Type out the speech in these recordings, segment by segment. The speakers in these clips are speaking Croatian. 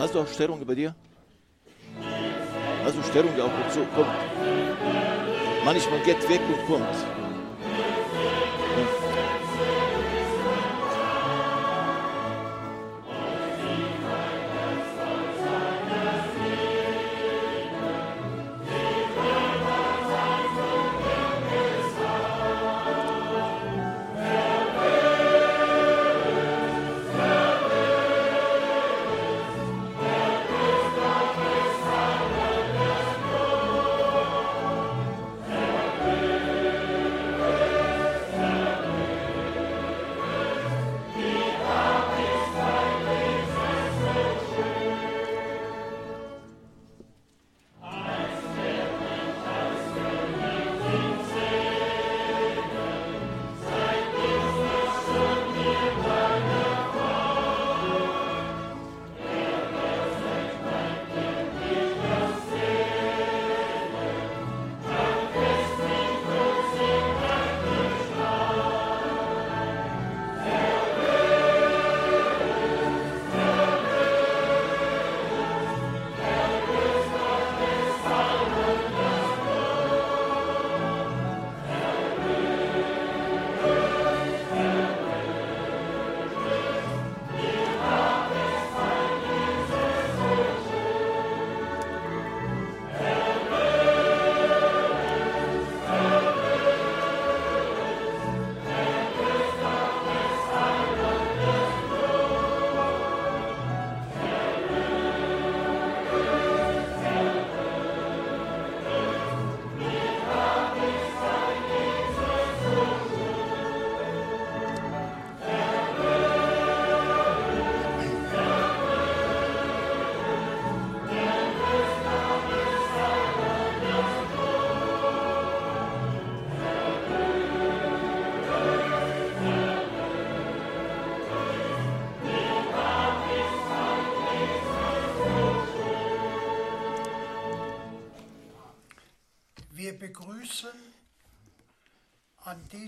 Hast du auch Störungen bei dir? Hast du Störungen auch und so? Kommt. Manchmal geht weg und kommt. Ja.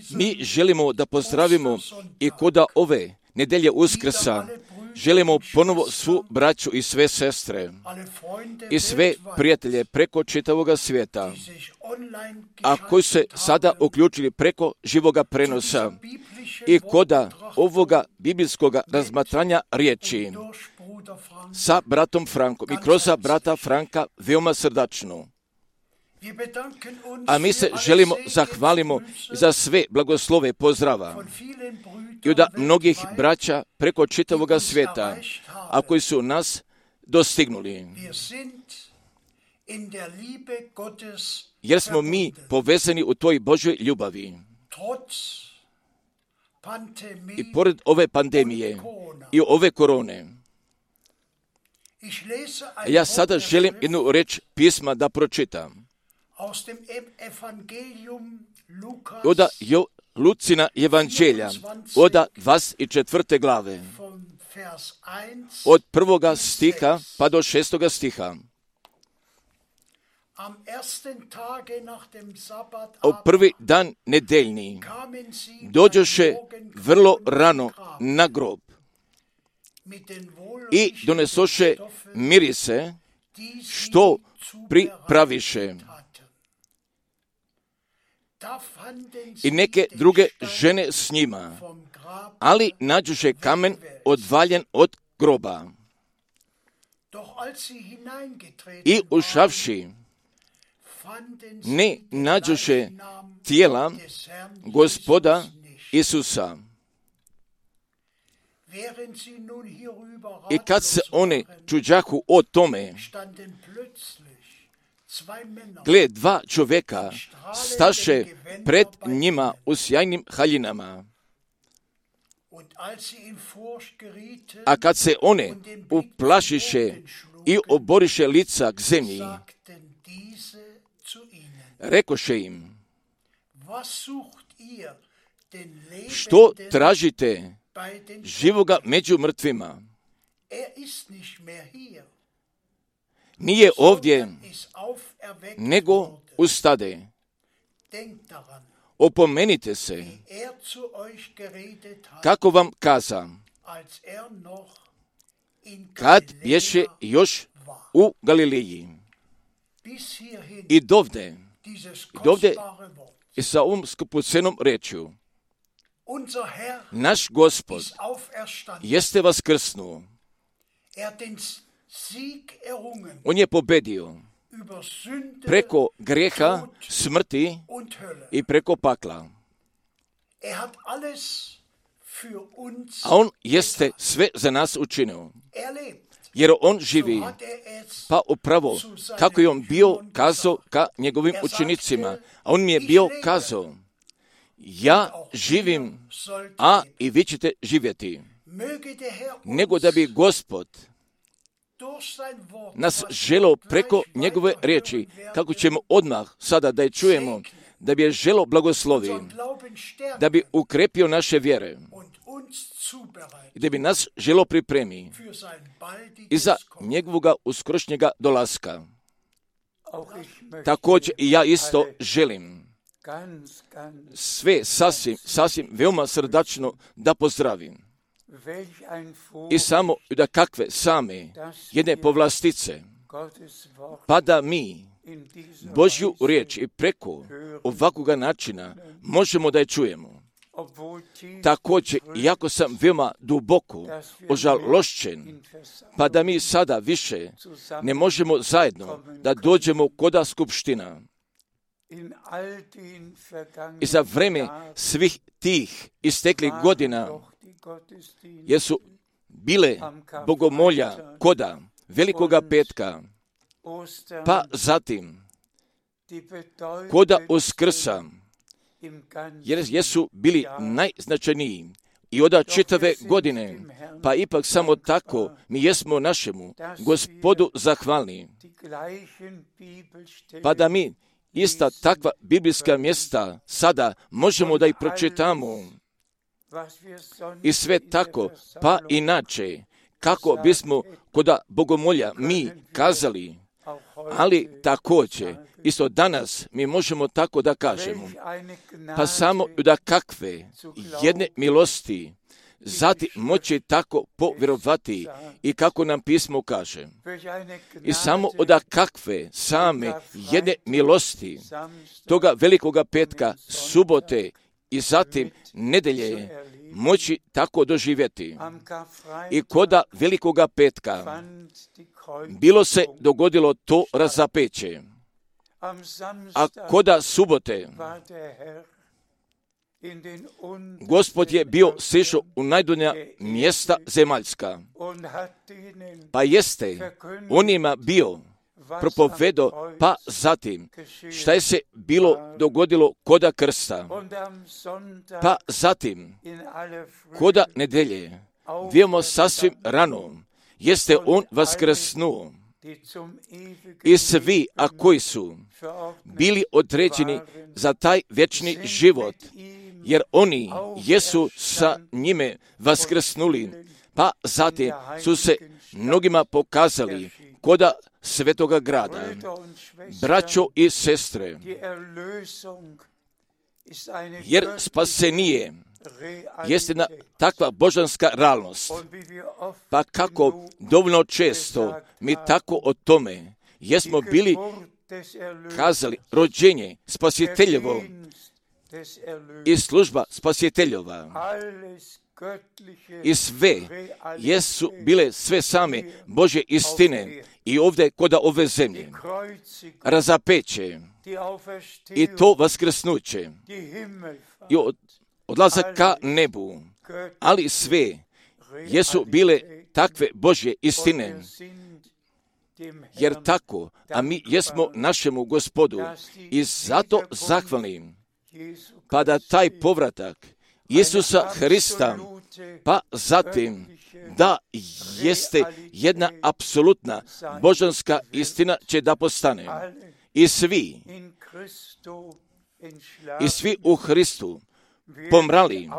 Mi želimo da pozdravimo i koda ove nedelje Uskrsa. Želimo ponovo svu braću i sve sestre i sve prijatelje preko čitavoga svijeta, a koji se sada uključili preko živoga prenosa i koda ovoga biblijskoga razmatranja riječi sa bratom Frankom i kroz brata Franka veoma srdačno. A mi se želimo zahvalimo za sve blagoslove pozdrava i od mnogih braća preko čitavoga svijeta, a koji su nas dostignuli. Jer smo mi povezani u toj Božoj ljubavi. I pored ove pandemije i ove korone, ja sada želim jednu reč pisma da pročitam. Od Lucina evanđelja, od 24. glave, od 1. stiha pa do 6. stiha. U prvi dan nedeljni dođoše vrlo rano na grob i donesoše mirise što pripraviše. I neke druge žene s njima, ali nađoše kamen odvaljen od groba. I ušavši, ne nađoše tijela Gospoda Isusa. I kad se one čuđahu o tome, gle, dva čovjeka staše pred njima u sjajnim haljinama. A kad se one uplašiše i oboriše lica k zemlji, rekoše im, što tražite živoga među mrtvima? Nije ovdje, nego ustade. Opomenite se, kako vam kaza, kad bješe još u Galileji. I dovde i sa ovom skupocenom rečju, naš Gospod jeste vaskrsnuo. On je pobedio preko grijeha, smrti i preko pakla. A on jeste sve za nas učinio. Jer on živi, pa upravo kako je on bio kazao ka njegovim učenicima. A on mi je bio kazao, ja živim, a i vi ćete živjeti. Nego da bi Gospod nas želeo preko njegove riječi, kako ćemo odmah sada da je čujemo, da bi je želeo blagoslovi, da bi ukrepio naše vjere i da bi nas želeo pripremi i za njegovoga uskrošnjega dolaska. Također i ja isto želim sve sasvim veoma srdačno da pozdravim. I samo da kakve same jedne povlastice, pa da mi Božju riječ i preko ovakvoga načina možemo da je čujemo. Također, iako sam veoma duboko ožalošćen, pa da mi sada više ne možemo zajedno da dođemo koda skupština. I za vreme svih tih isteklih godina, jer su bile bogomolja koda Velikoga petka, pa zatim koda Uskrsa, jer jesu bili najznačajniji i od čitave godine, pa ipak samo tako mi jesmo našemu Gospodu zahvalni. Pa da mi ista takva biblijska mjesta sada možemo da ih pročitamo i sve tako, pa inače, kako bismo koda bogomolja mi kazali, ali također, isto danas mi možemo tako da kažemo, pa samo da kakve jedne milosti zatim moći tako povjerovati i kako nam pismo kaže. I samo da kakve same jedne milosti toga Velikoga petka, subote i zatim nedelje moći tako doživjeti. I koda Velikoga petka bilo se dogodilo to razapeće, a koda subote Gospod je bio sišao u najdonja mjesta zemaljska, pa jeste onima bio propovedo, pa zatim šta je se bilo dogodilo koda krsta, pa zatim koda nedelje, vidimo sasvim rano, jeste on vaskrsnuo i svi, a koji su bili određeni za taj vječni život, jer oni jesu sa njime vaskrsnuli, pa zatim su se mnogima pokazali koda svetoga grada. Braćo i sestre, jer spasenije jeste jedna takva božanska realnost, pa kako dovoljno često mi tako o tome jesmo bili kazali rođenje spasiteljevo i služba spasiteljova i sve jesu bile sve same Božje istine i ovdje koda ove zemlje razapeće i to vaskrsnuće i odlazak ka nebu, ali sve jesu bile takve Božje istine. Jer tako, a mi jesmo našemu Gospodu i zato zahvalnim, pa da taj povratak Isusa Hrista, pa zatim da jeste jedna apsolutna božanska istina će da postane. I svi u Hristu pomrali,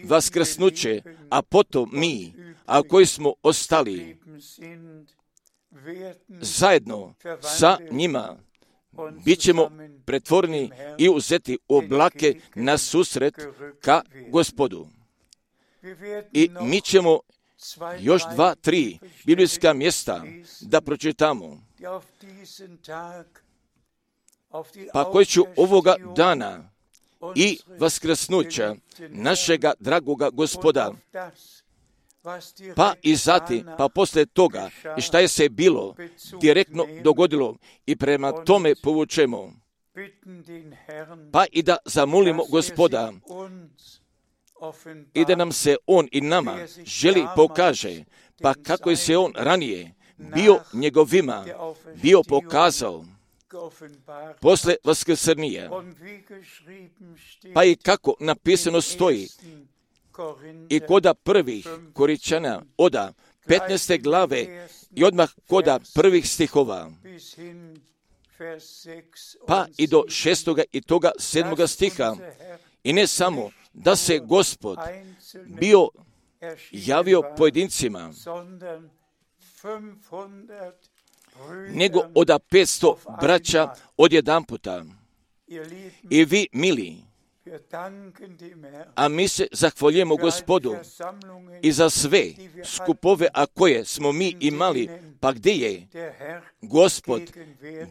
vaskrsnuće, a potom mi, a koji smo ostali zajedno sa njima, bit ćemo pretvoreni i uzeti u oblake na susret ka Gospodu. I mi ćemo još 2-3 biblijska mjesta da pročitamo, pa koji ću ovoga dana i vaskrsnuća našega dragoga Gospoda, pa i zatim, pa poslije toga, i šta je se bilo direktno dogodilo i prema tome povučemo, pa i da zamolimo Gospoda i da nam se On i nama želi pokaže, pa kako je se On ranije bio njegovima, bio pokazao posle vaskrsenija, pa i kako napisano stoji i koda prvih Koričana oda 15. glave i odmah koda prvih stihova, pa i do 6. i toga 7. stiha. I ne samo da se Gospod bio javio pojedincima, nego od 500 braća odjedanputa. I vi, mili, a mi se zahvaljujemo Gospodu i za sve skupove, a koje smo mi imali, pa gdje je Gospod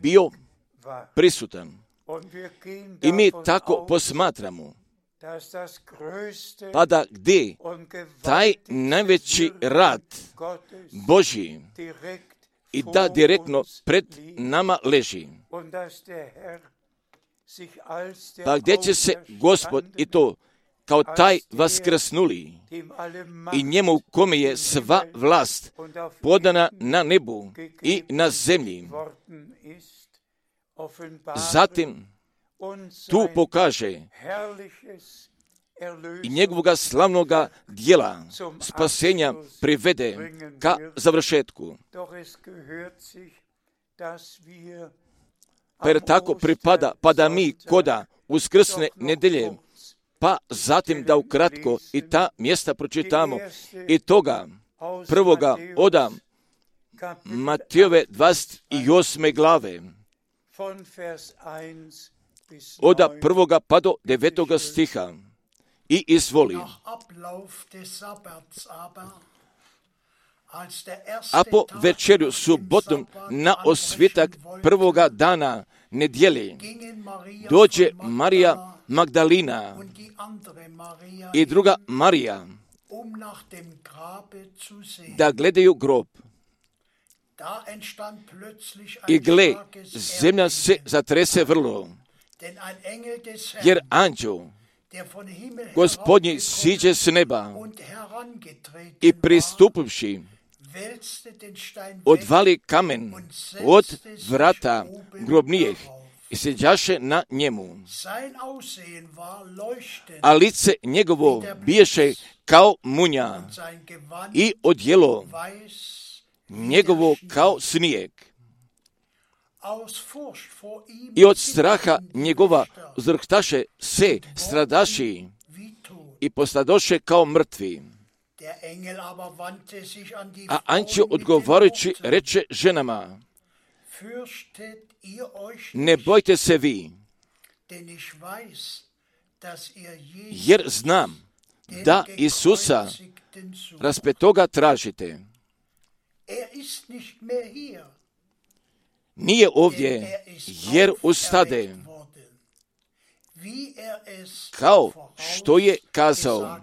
bio prisutan. I mi tako posmatramo, pa da gdje taj najveći rad Božji i da direktno pred nama leži, pa gdje će se Gospod i to kao taj vaskrsnuli i njemu kome je sva vlast podana na nebu i na zemlji, zatim tu pokaže i njegovoga slavnoga dijela spasenja privede ka završetku. Pa jer tako pripada, pa da mi koda uskrsne nedelje, pa zatim da ukratko i ta mjesta pročitamo i toga prvoga oda Matejove 28. glave, oda 1. pa do 9. stiha. I izvoli. A po večerju subotom na osvitak prvoga dana nedjelje dođe Marija Magdalina i druga Marija da gledaju grob. I gle, zemlja se zatrese vrlo, jer anđel Gospodnji siđe s neba i pristupivši odvali kamen od vrata grobnijih i sjeđaše na njemu. A lice njegovo biješe kao munja i odjelo njegovo kao snijeg. I od straha njegova uzrhtaše se stradaši i postadoše kao mrtvi. A anđel odgovarajući reče ženama, ne bojte se vi, jer znam da Isusa raspetoga tražite. Nije ovdje, jer ustade, kao što je kazao.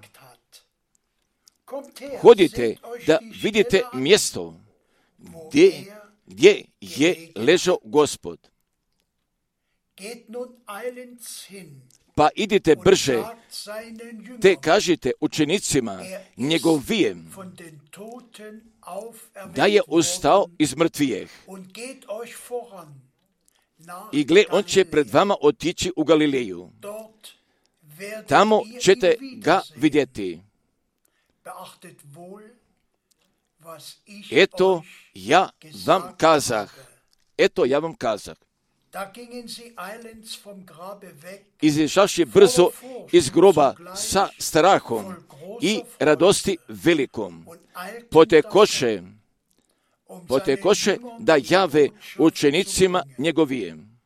Hodite da vidite mjesto gdje je ležao Gospod. Pa idite brže, te kažite učenicima njegovijem da je ustao iz mrtvijeh. I gle, on će pred vama otići u Galileju. Tamo ćete ga vidjeti. Eto, ja vam kazah. Izišavši brzo iz groba sa strahom i radosti velikom, potekoše da jave učenicima njegovijem.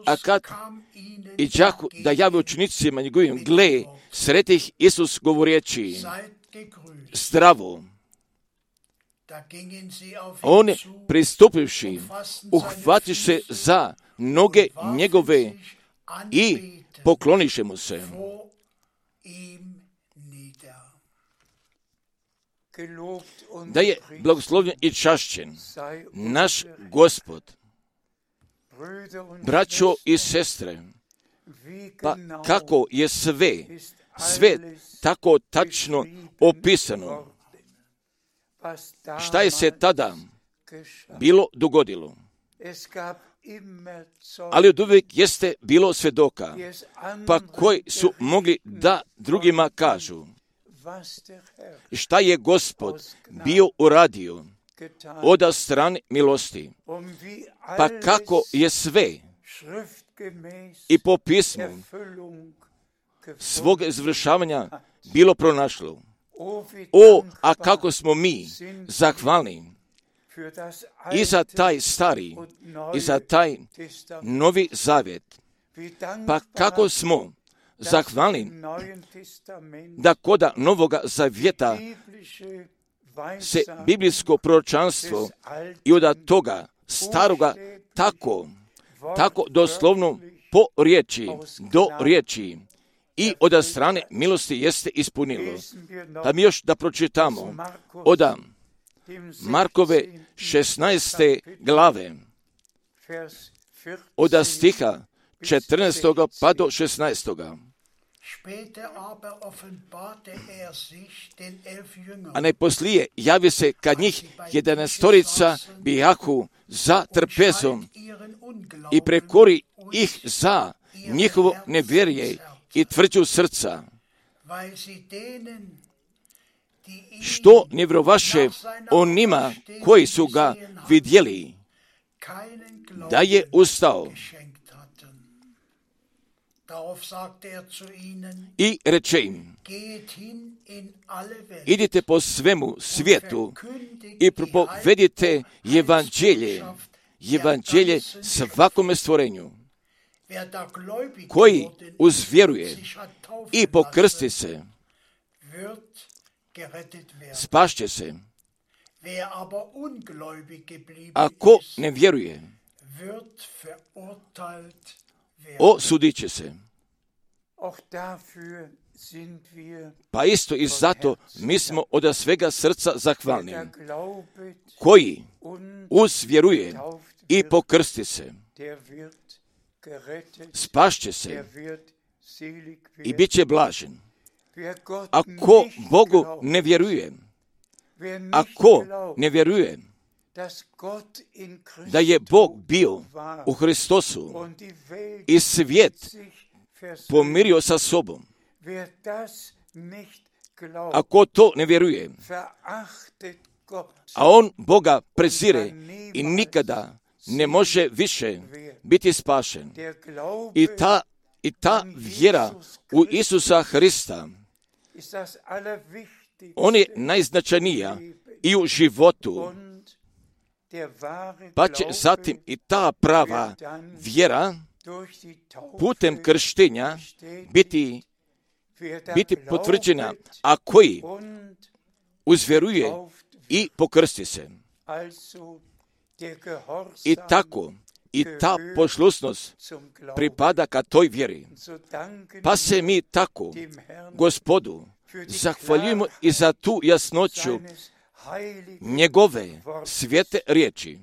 A kad iđahu da jave učenicima njegovim, gle, sretih Isus govoreći, zdravo. On pristupivši, uhvatiše za noge njegove i pokloniše mu se. Da je blagoslovljen i čašćen naš Gospod. Braćo i sestre, pa kako je sve tako tačno opisano, šta je se tada bilo dogodilo, ali od uvijek jeste bilo svedoka, pa koji su mogli da drugima kažu šta je Gospod bio uradio od strane milosti, pa kako je sve i po pismu svog izvršavanja bilo pronašlo. A kako smo mi zahvalni i za taj stari i za taj novi zavjet, pa kako smo zahvalni da koda novoga zavjeta se biblijsko proročanstvo i od toga staroga tako doslovno po riječi, do riječi i od strane milosti jeste ispunilo. Da mi još da pročitamo od Markove 16. glave, od stiha 14. pa do 16. A najposlije javi se kad njih 11 bijahu za trpezom i prekori ih za njihovo nevjerje i tvrđu srca, što ne vjerovaše onima koji su ga vidjeli, da je ustao i reče im, idite po svemu svijetu i propovedite evanđelje svakome stvorenju. Koji uzvjeruje i pokrsti se, spašće se. Ako ne vjeruje, osudit će se. Pa isto i zato mi smo od svega srca zahvalni. Koji uzvjeruje i pokrsti se, spašće se i bit će blažen. Ako Bogu ne vjeruje, da je Bog bio u Hristosu i svijet pomirio sa sobom, ako to ne vjeruje, a on Boga prezire i nikada ne može više biti spašen. I ta vjera u Isusa Hrista, on je najznačajnija i u životu, pa će zatim i ta prava vjera putem krštenja biti potvrđena, a koji uzvjeruje i pokrsti se. I tako, i ta poslušnost pripada ka toj vjeri. Pa se mi tako Gospodu zahvaljujemo i za tu jasnoću njegove svete riječi.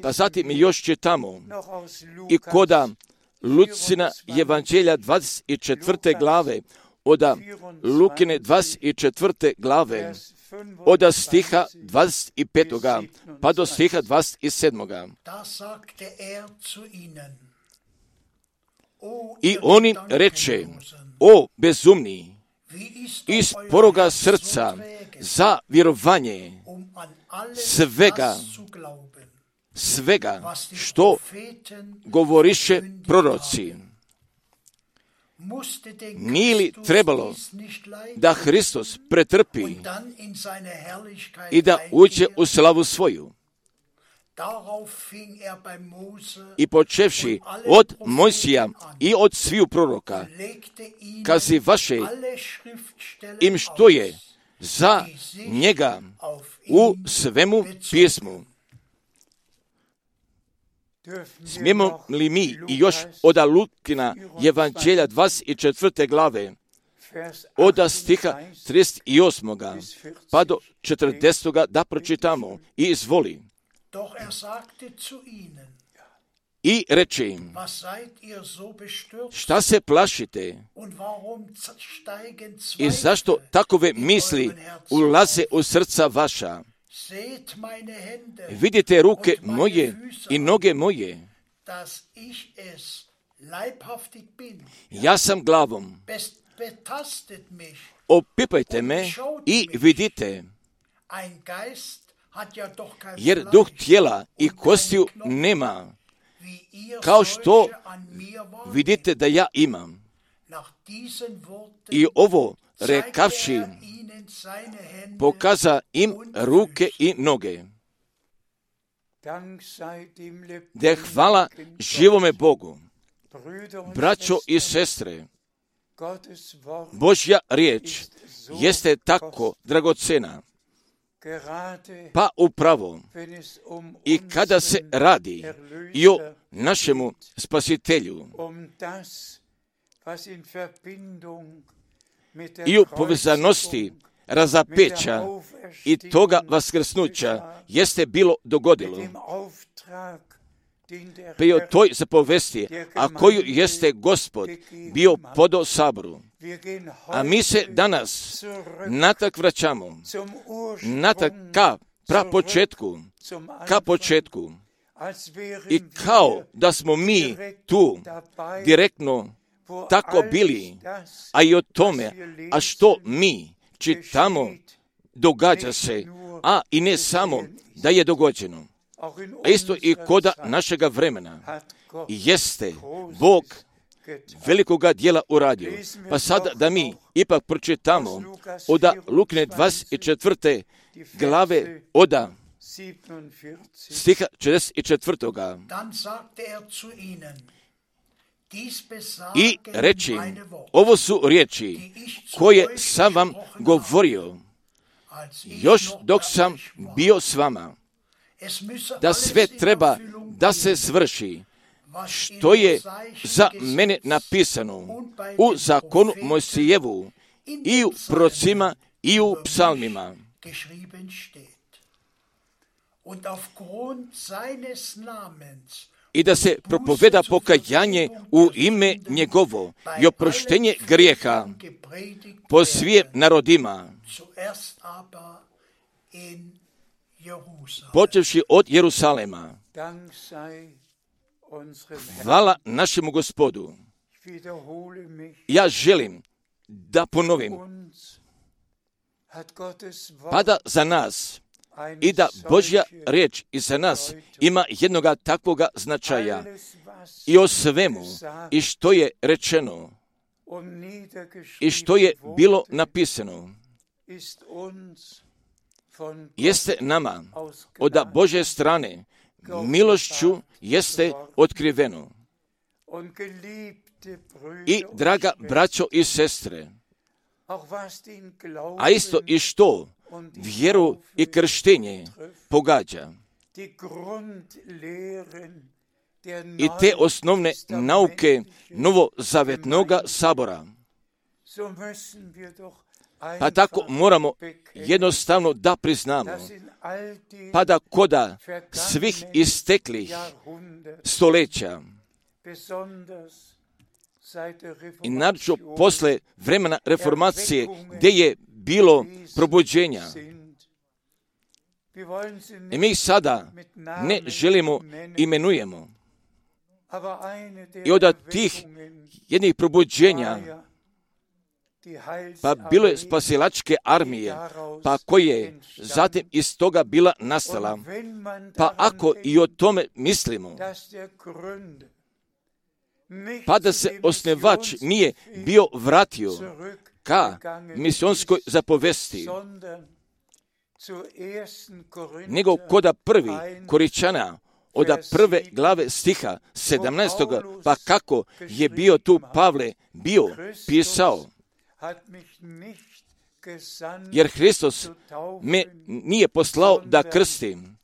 Pa zatim mi još čitamo i koda Lucina evanđelja 24. glave, od Lukine 24. glave, od stiha 25. pa do stiha 27. I oni reče, o bezumni, iz poroga srca za vjerovanje svega što govoriše proroci. Nije li trebalo da Hristos pretrpi i da uđe u slavu svoju? I počevši od Mojsija i od sviju proroka, kazivaše im što je za njega u svemu pismu. Smijemo li mi i još od Lukina Evanđelja 24. glave, od stiha 38. pa do 40. da pročitamo i izvoli. I reče im, šta se plašite i zašto takove misli ulaze u srca vaša? Vidite ruke moje i noge moje. Ja sam glavom. Opipajte me i vidite. Jer duh tijela i kostiju nema, kao što vidite da ja imam. I ovo rekavši, pokaza im ruke i noge. Da hvala živome Bogu. Braćo i sestre, Božja riječ jeste tako dragocena, pa upravo i kada se radi i o našemu spasitelju i u povezanosti razapeća i toga vaskrsnuća jeste bilo dogodilo. Pa i o toj zapovesti, a koju jeste Gospod bio podao saboru. A mi se danas natak vraćamo, natak ka početku. I kao da smo mi tu direktno tako bili, a i o tome, a što mi čitamo, događa se, a i ne samo da je dogođeno. A isto i koda našega vremena jeste Bog velikoga djela uradio. Pa sad da mi ipak pročitamo od Lukine 24. glave od stiha 44. I reći, ovo su riječi koje sam vam govorio još dok sam bio s vama, da sve treba da se svrši što je za mene napisano u zakonu Mojsijevu i u prorocima i u psalmima. I da se propoveda pokajanje u ime njegovo i oproštenje grijeha po svim narodima, počevši od Jerusalema. Hvala našemu Gospodu. Ja želim da ponovim, pada za nas i da Božja riječ i za nas ima jednoga takvoga značaja i o svemu i što je rečeno i što je bilo napisano jeste nama od Božje strane milošću jeste otkriveno. I draga braćo i sestre, a isto i što vjeru i krštenje pogađa i te osnovne nauke novozavetnoga sabora, pa tako moramo jednostavno da priznamo, pa da koda svih isteklih stoljeća i naročito posle vremena reformacije gdje je bilo probuđenja. I mi sada ne želimo imenujemo. I od tih jednih probuđenja pa bilo je spasilačke armije, pa koje zatim iz toga bila nastala. Pa ako i o tome mislimo, pa da se osnivač nije bio vratio ka misionskoj zapovesti, nego koda prvi Koričana, od prve glave stiha 17. Pa kako je bio tu Pavle bio pisao, jer Hristos me nije poslao da krstim,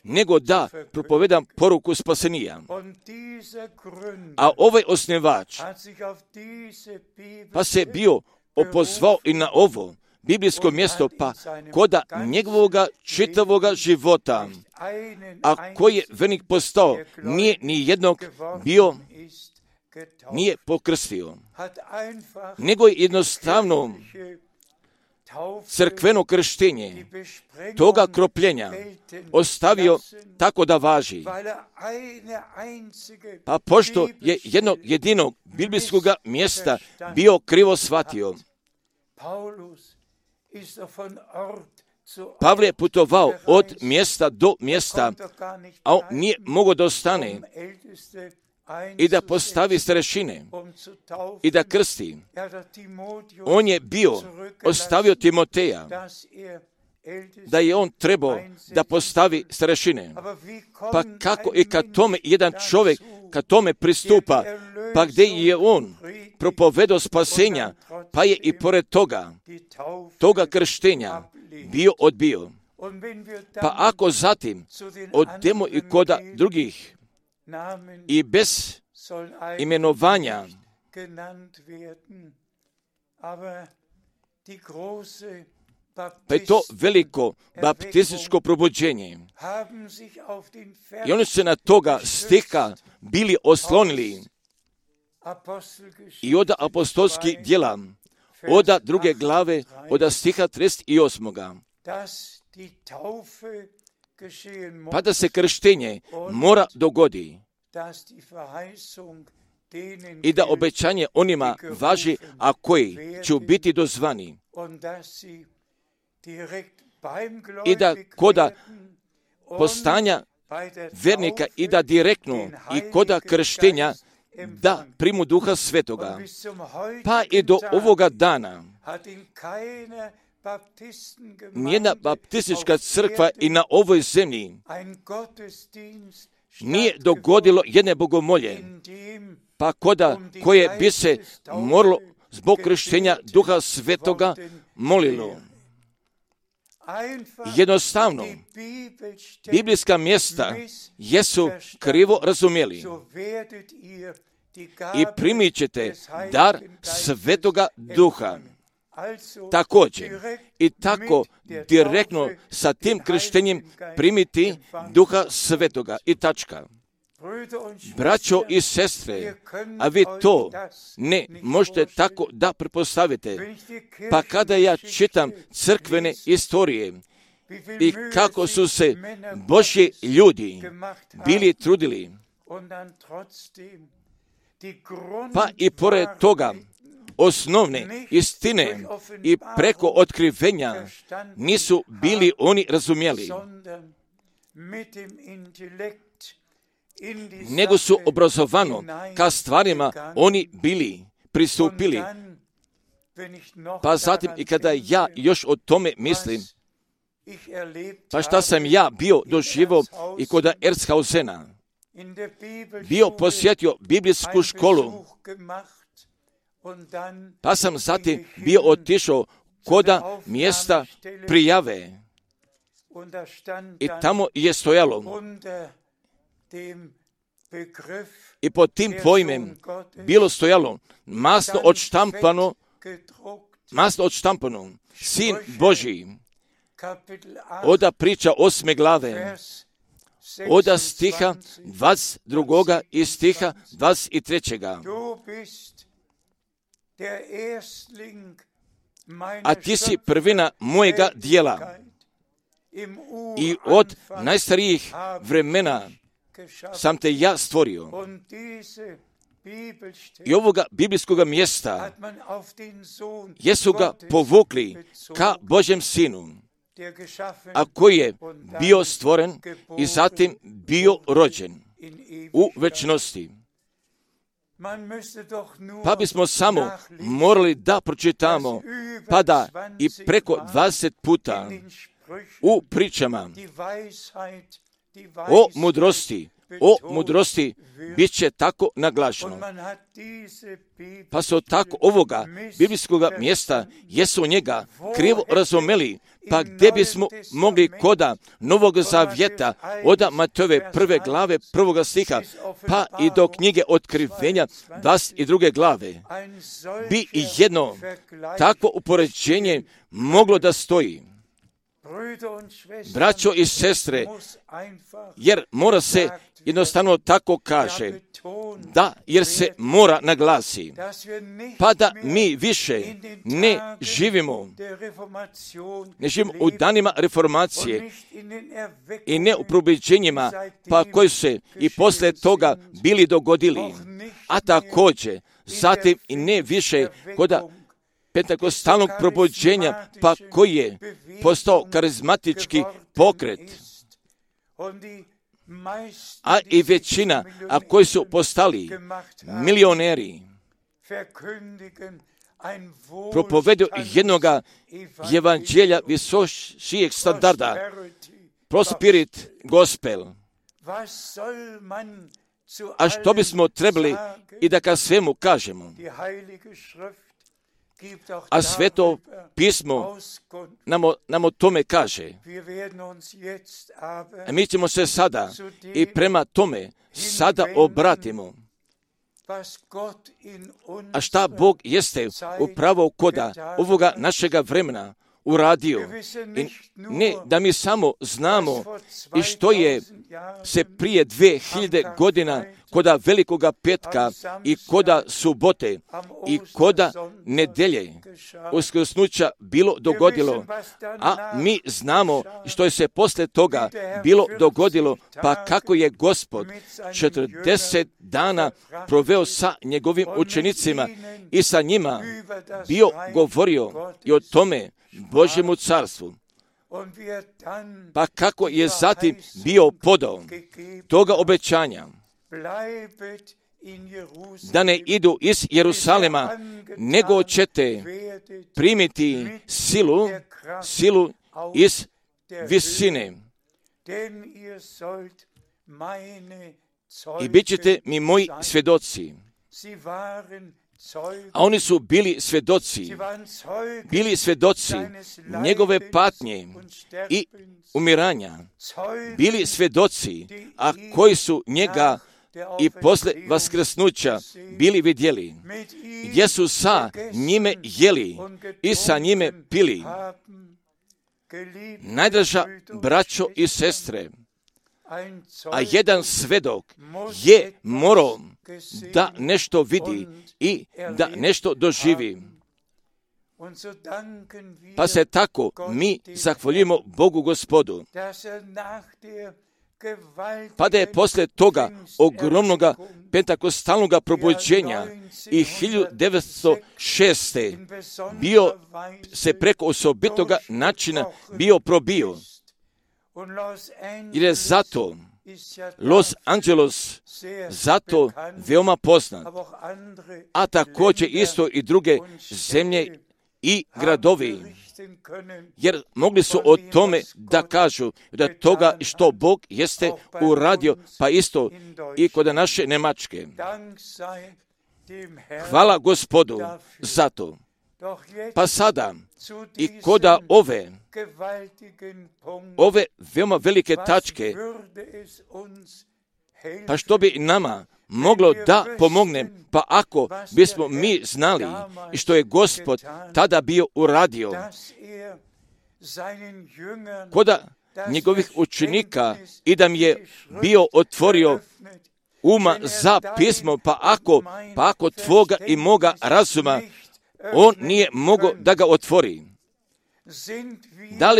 nego da propovedam poruku spasenija. A ovaj osnivač pa se bio opozvao i na ovo biblijsko mjesto, pa koda njegovoga čitavoga života, a koji je vernik postao, nije ni jednog bio, nije pokrstio, nego je jednostavno crkveno krštenje toga kropljenja ostavio tako da važi. Pa pošto je jednog jedinog biblijskog mjesta bio krivo shvatio, Pavle je putovao od mjesta do mjesta, a on nije mogao da ostane i da postavi starešine i da krsti. On je ostavio Timoteja, da je on trebao da postavi starešine. Pa kako i kad tome jedan čovjek, kad tome pristupa, pa gdje je on propovedao spasenja, pa je i pored toga krštenja bio odbio. Pa ako zatim odemo i koda drugih i bez imenovanja, pa je to veliko baptističko probuđenje. I oni su se na toga stiha bili oslonili i od apostolskih djela, od druge glave, od stiha 38. Pa da se krštenje mora dogodi i da obećanje onima važi, a koji će biti dozvani, i da koda postanja vernika i da direktno i koda krštenja da primu Duha Svetoga. Pa i do ovoga dana nijedna baptistička crkva i na ovoj zemlji nije dogodilo jedne bogomolje, pa koje bi se moralo zbog krštenja Duha Svetoga molilo. Jednostavno, biblijska mjesta jesu krivo razumjeli i primit ćete dar Svetoga Duha. Također i tako direktno sa tim krštenjem primiti Duha Svetoga i tačka. Braćo i sestre, a vi to ne možete tako da pretpostavite. Pa kada ja čitam crkvene istorije i kako su se Božji ljudi bili trudili, pa i pored toga osnovne istine i preko otkrivenja nisu bili oni razumjeli, nego su obrazovano ka stvarima oni bili pristupili. Pa zatim i kada ja još o tome mislim, pa šta sam ja bio doživio i kod Erzhausena, bio posjetio biblijsku školu, pa sam zatim bio otišao koda mjesta prijave i tamo je stojalo i pod tim pojmem bilo stojalo masno odštampano Sin Božji, oda priča 8. glave, oda stiha 22. i stiha 23. A ti si prvina mojega dijela i od najstarijih vremena sam te ja stvorio. I ovoga biblijskog mjesta jesu ga povukli ka Božjem Sinu, a koji je bio stvoren i zatim bio rođen u večnosti. Pa bismo samo morali da pročitamo, pa da i preko 20 puta u pričama o mudrosti bit će tako naglašeno. Pa su tako ovoga biblijskog mjesta, jesu njega krivo razumeli, pa gdje bismo mogli koda Novog Zavjeta, od Matejove 1. glave 1. stiha, pa i do knjige Otkrivenja 22. glave, bi i jedno takvo upoređenje moglo da stoji. Braćo i sestre, jer mora se jednostavno tako kaže, da, jer se mora naglasi, pa da mi više ne živimo u danima reformacije i ne u probuđenjima, pa koji su se i poslije toga bili dogodili, a također zatim i ne više koda pentakostalnog probuđenja, pa koji je postao karizmatički pokret, a i većina, a koji su postali milioneri, propovedu jednoga evanđelja visošijeg standarda, prosperit gospel. A što bismo trebali i da ka svemu kažemo? A Sveto pismo nam o tome kaže. A mi ćemo se sada i prema tome sada obratimo. A šta Bog jeste upravo koda ovoga našega vremena uradio. I ne da mi samo znamo i što je se prije 2000 godina koda Velikoga petka i koda subote i koda nedelje uskrsnuća bilo dogodilo, a mi znamo što je se poslije toga bilo dogodilo, pa kako je Gospod 40 dana proveo sa njegovim učenicima i sa njima bio govorio i o tome Božjemu carstvu. Pa kako je zatim bio podao toga obećanja da ne idu iz Jerusalema, nego ćete primiti silu iz visine i bit ćete mi moji svjedoci. A oni su bili svjedoci njegove patnje i umiranja, bili svjedoci, a koji su njega i posle vaskrsnuća bili vidjeli, gdje su sa njime jeli i sa njime pili. Najdraža braćo i sestre, a jedan svedok je morao da nešto vidi i da nešto doživi. Pa se tako mi zahvaljujemo Bogu Gospodu. Pa da je poslije toga ogromnoga pentakostalnog probuđenja i 1906. bio se preko osobitoga načina bio probio. Jer je zato Los Angeles zato veoma poznat, a također isto i druge zemlje i gradovi, jer mogli su o tome da kažu da toga što Bog jeste uradio, pa isto i kod naše Njemačke. Hvala Gospodu za to. Pa sada i koda ove veoma velike tačke, pa što bi nama moglo da pomogne, pa ako bismo mi znali i što je Gospod tada bio uradio koda njegovih učenika i da mi je bio otvorio uma za pismo, pa ako tvoga i moga razuma on nije mogao da ga otvori. Da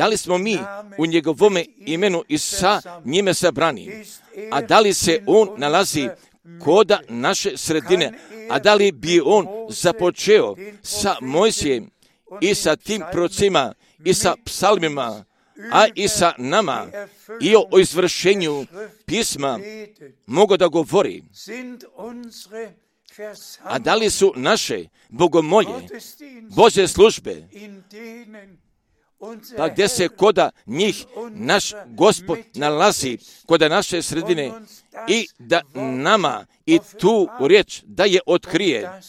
li smo mi u njegovome imenu i sa njime sabrani? A da li se on nalazi koda naše sredine? A da li bi on započeo sa Mojsijem i sa tim procima i sa psalmima a i sa nama i o izvršenju pisma mogu da govori. A da li su naše bogomolje, Božje službe, pa gdje se koda njih naš Gospod nalazi, koda naše sredine, i da nama i tu riječ da je otkrije,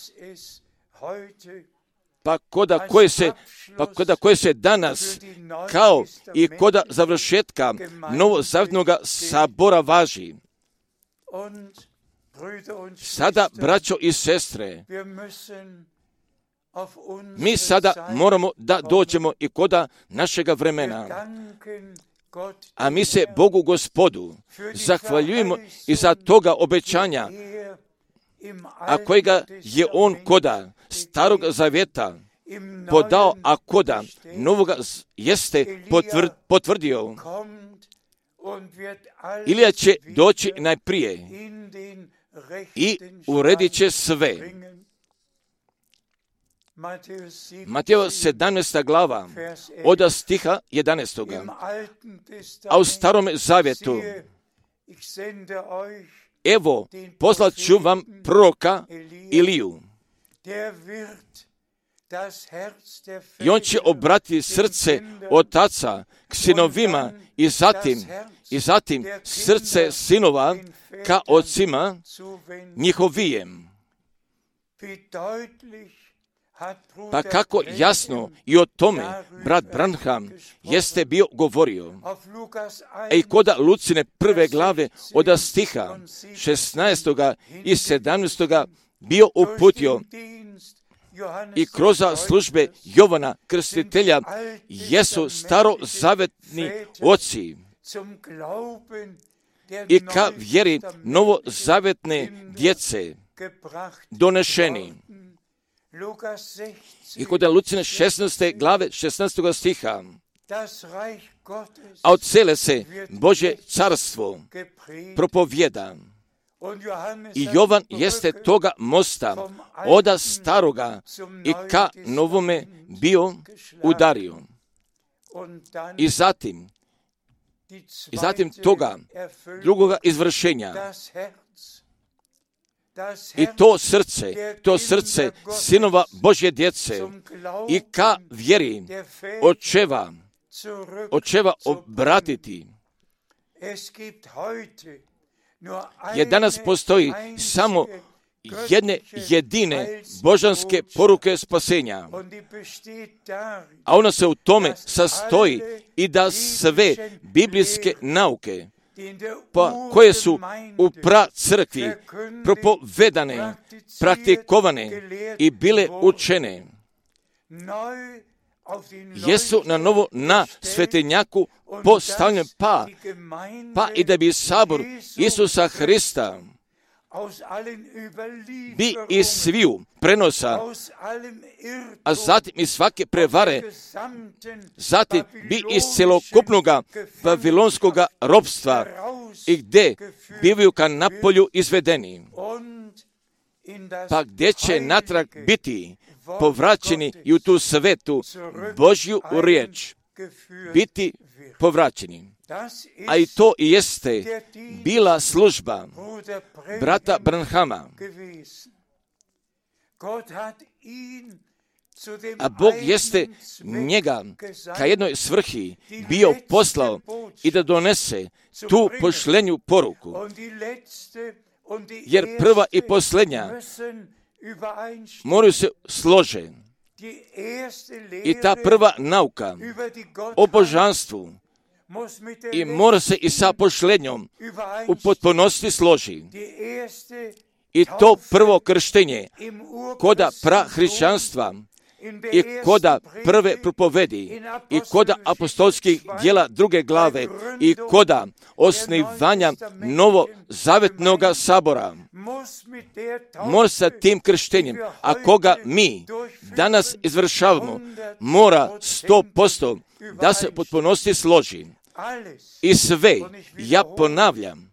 pa koda koje se danas kao i koda završetka novozavjetnog sabora važi. Sada, braćo i sestre, mi sada moramo da dođemo i koda našega vremena, a mi se Bogu Gospodu zahvaljujemo i za toga obećanja, a kojega je On koda Starog Zavjeta podao, a koda Novoga jeste potvrdio. Ilija će doći najprije i uredit će sve. Mateo 17. glava od stiha 11. A u Starom Zavjetu: evo, poslat ću vam proroka Iliju, i on će obratiti srce otaca k sinovima i zatim srce sinova ka ocima njihovijem. Pa kako jasno i o tome brat Branham jeste bio govorio. I koda Lucine prve glave od stiha 16. i 17. bio uputio i kroz službe Jovana Krstitelja jesu starozavetni oci i ka vjeri novozavetne djece donešeni. I kod Lucine 16. glave 16. stiha: a od cele se Božje carstvo propovjeda. I Jovan jeste toga mosta oda staroga i ka novome bio udario. I zatim toga drugoga izvršenja. I to srce sinova Božje djece i ka vjeri očeva obratiti. Jer danas postoji samo jedne jedine božanske poruke spasenja, a ona se u tome sastoji i da sve biblijske nauke, pa koje su u crkvi propovedane, praktikovane i bile učene, jesu na novo na svetenjaku postavljene, pa i da bi sabor Isusa Hrista bi iz sviju prenosa, a zatim iz svake prevare, zatim bi iz celokupnoga vavilonskoga ropstva i gdje bivaju ka napolju izvedeni, pa gdje će natrag biti povraćeni i u tu svetu Božju riječ biti povraćeni. A i to i jeste bila služba brata Branhama. A Bog jeste njega ka jednoj svrhi bio poslao i da donese tu pošlenju poruku. Jer prva i posljednja moraju se slože. I ta prva nauka o božanstvu i mora se i sa pošlednjom u potpunosti složi. I to prvo krštenje koda prahrišćanstva i koda prve propovedi i koda apostolskih djela druge glave i koda osnivanja novozavetnog sabora mora sa tim krštenjem, a koga mi danas izvršavamo, mora 100% da se potpunosti složi. I sve, ja ponavljam,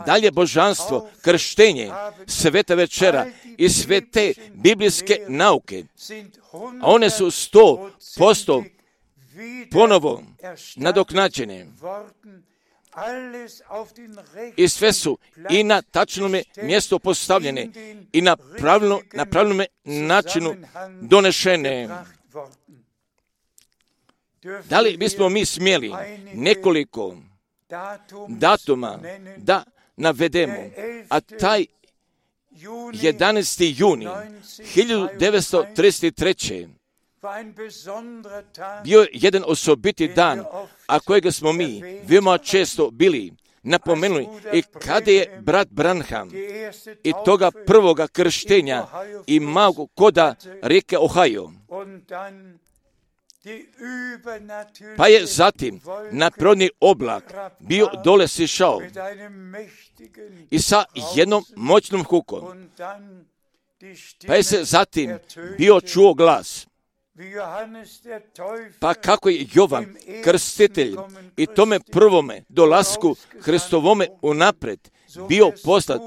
dalje božanstvo, krštenje, sveta večera i sve te biblijske nauke, a one su 100% ponovo nadoknađene i sve su i na tačnom mjestu postavljene i na pravilnom načinu donešene. Da li bismo mi smjeli nekoliko datuma da navedemo, a taj 11. juni 1933. bio je jedan osobiti dan, a kojega smo mi veoma često bili napomenuli, i kada je brat Branham i toga prvoga krštenja imao koda rijeke Ohio, pa je zatim nadprirodni oblak bio dole sišao i sa jednom moćnom hukom, pa je se zatim bio čuo glas. Pa kako je Jovan krstitelj i tome prvome dolasku Hristovome unapred bio poslat,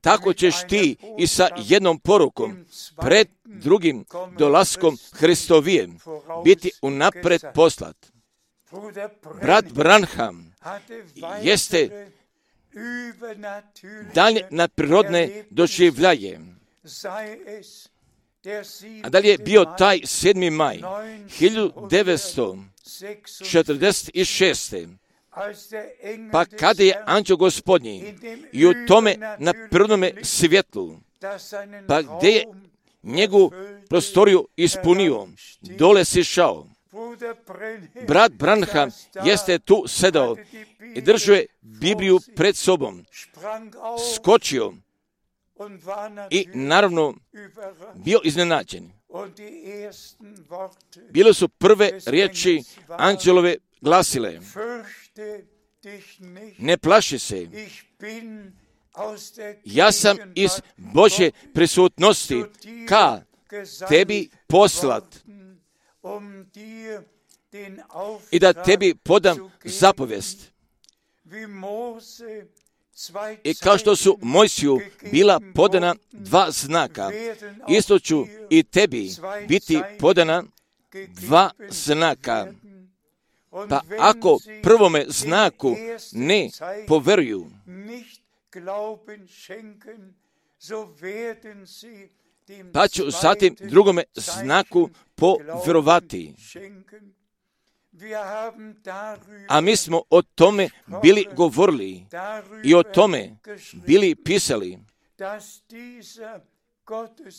tako ćeš ti i sa jednom porukom pred drugim dolaskom Hristovijem biti unapred poslat. Brat Branham jeste dalje nadprirodne doživljaje. A da li je bio taj 7. maj 1946. pa kada je anđeo Gospodnji i u tome na prvome svjetlu, pa gdje je njegovu prostoriju ispunio, dole sišao. Brat Branham jeste tu sedao i držao je Bibliju pred sobom, skočio i naravno bio iznenađen. Bile su prve riječi anđelove glasile: ne plaši se, ja sam iz Božje prisutnosti ka tebi poslat i da tebi podam zapovijest. I kao što su Mojsiju bila podana 2 znaka, isto ću i tebi biti podana 2 znaka. Pa ako prvome znaku ne poveruju, pa ću zatim drugome znaku povjerovati. A mi smo o tome bili govorili i o tome bili pisali,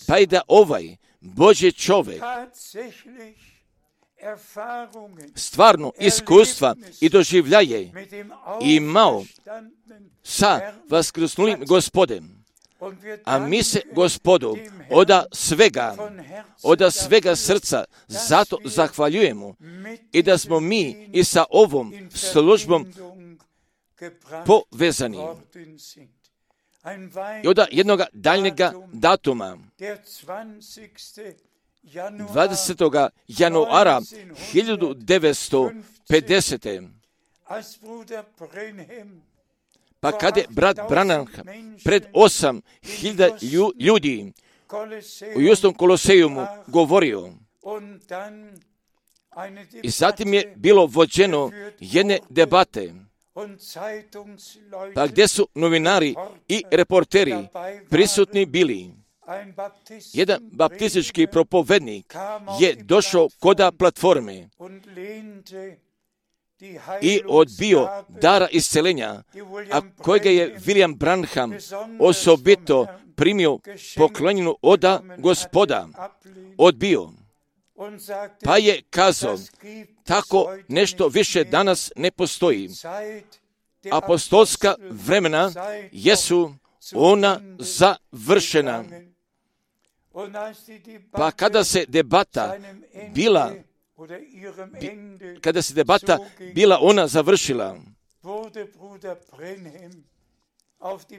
pa i da ovaj Božji čovjek stvarno iskustva i doživljaje imao sa vaskrsnulim Gospodem. A mi se Gospodu od svega srca zato zahvaljujemo i da smo mi i sa ovom službom povezani. I od jednog daljnjega datuma, 20. januara 1950. Pa kad je brat Branham pred 8.000 ljudi u Justom Kolosejumu govorio, i zatim je bilo vođeno jedne debate, pa gdje su novinari i reporteri prisutni bili. Jedan baptistički propovednik je došao koda platforme i odbio dara isceljenja, a kojega je William Branham osobito primio poklonjenu oda Gospoda, odbio. Pa je kazao, tako nešto više danas ne postoji. Apostolska vremena jesu ona završena. Pa kada se debata bila ona završila,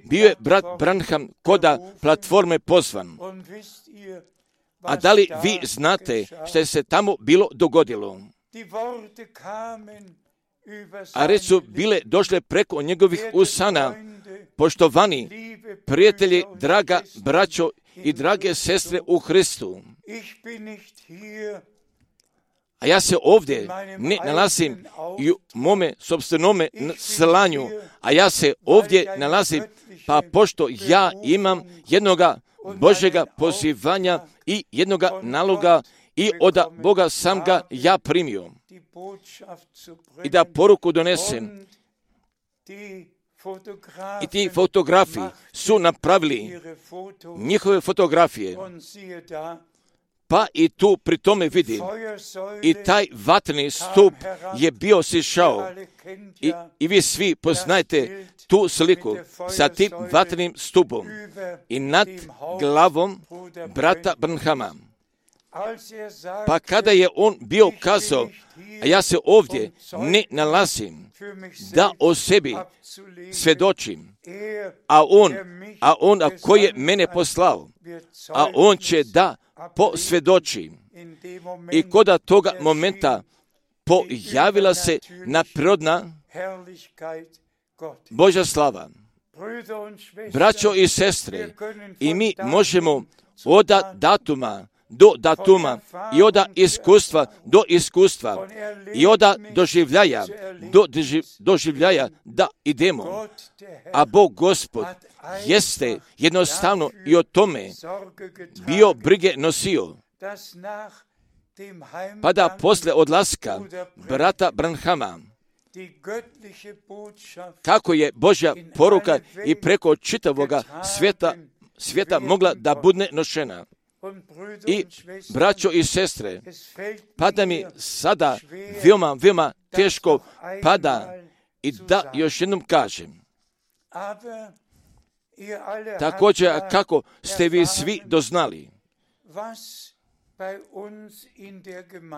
bio je brat Branham koda platforme pozvan. A da li vi znate što se tamo bilo dogodilo? A reći su bile došle preko njegovih usana: poštovani prijatelji, draga braćo i drage sestre u Hristu. a ja se ovdje ne nalazim i u mome sopstvenome slanju, a ja se ovdje nalazim, pa pošto ja imam jednoga Božjega pozivanja i jednoga naloga i od Boga sam ga ja primio i da poruku donesem. I ti fotografi su napravili njihove fotografije, pa i tu pri tome vidi i taj vatreni stup je bio sišao i vi svi poznajete tu sliku sa tim vatrenim stupom i nad glavom brata Branhama. Pa kada je on bio kazao, a ja se ovdje ne nalazim da o sebi svjedočim, a on koji je mene poslao, a on će da posvjedoči. I koda toga momenta pojavila se naprirodna Božja slava. Braćo i sestre, i mi možemo od datuma do datuma i od iskustva do iskustva i od doživljaja do doživljaja da idemo. A Bog Gospod jeste jednostavno i o tome bio brige nosio. Pa da posle odlaska brata Branhama, kako je Božja poruka i preko čitavoga svijeta mogla da bude nošena. I braćo i sestre, pada mi sada veoma teško pada i da još jednom kažem. Također kako ste vi svi doznali,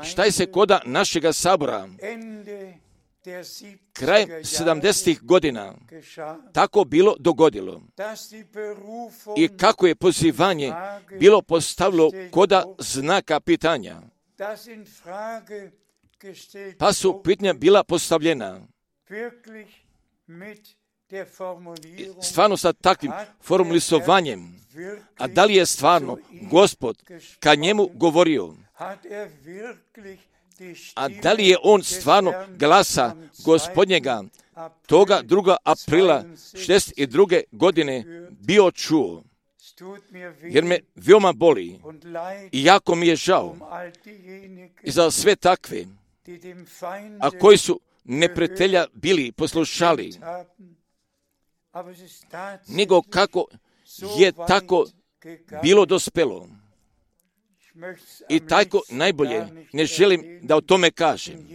šta je se koda našega sabora krajem 70. godina tako bilo dogodilo i kako je pozivanje bilo postavilo koda znaka pitanja, pa su pitanja bila postavljena stvarno sa takvim formulisovanjem, a da li je stvarno Gospod ka njemu govorio, a da li je on stvarno glasa Gospodnjega toga 2. aprila 62. godine bio čuo, jer me veoma boli i jako mi je žao i za sve takve, a koji su neprijatelja bili poslušali, nego kako je tako bilo dospelo. I tako najbolje ne želim da o tome kažem,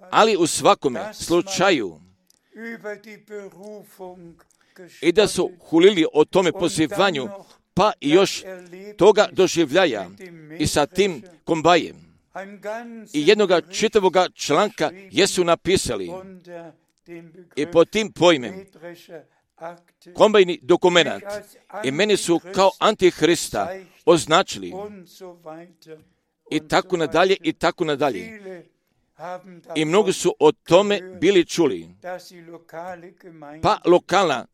ali u svakome slučaju i da su hulili o tome pozivanju, pa i još toga doživljaja i sa tim kombajem. I jednoga čitavoga članka jesu napisali i pod tim pojmem kombajni dokumenat i meni su kao antihrista označili i tako nadalje i tako nadalje. I mnogi su o tome bili čuli. Pa lokalna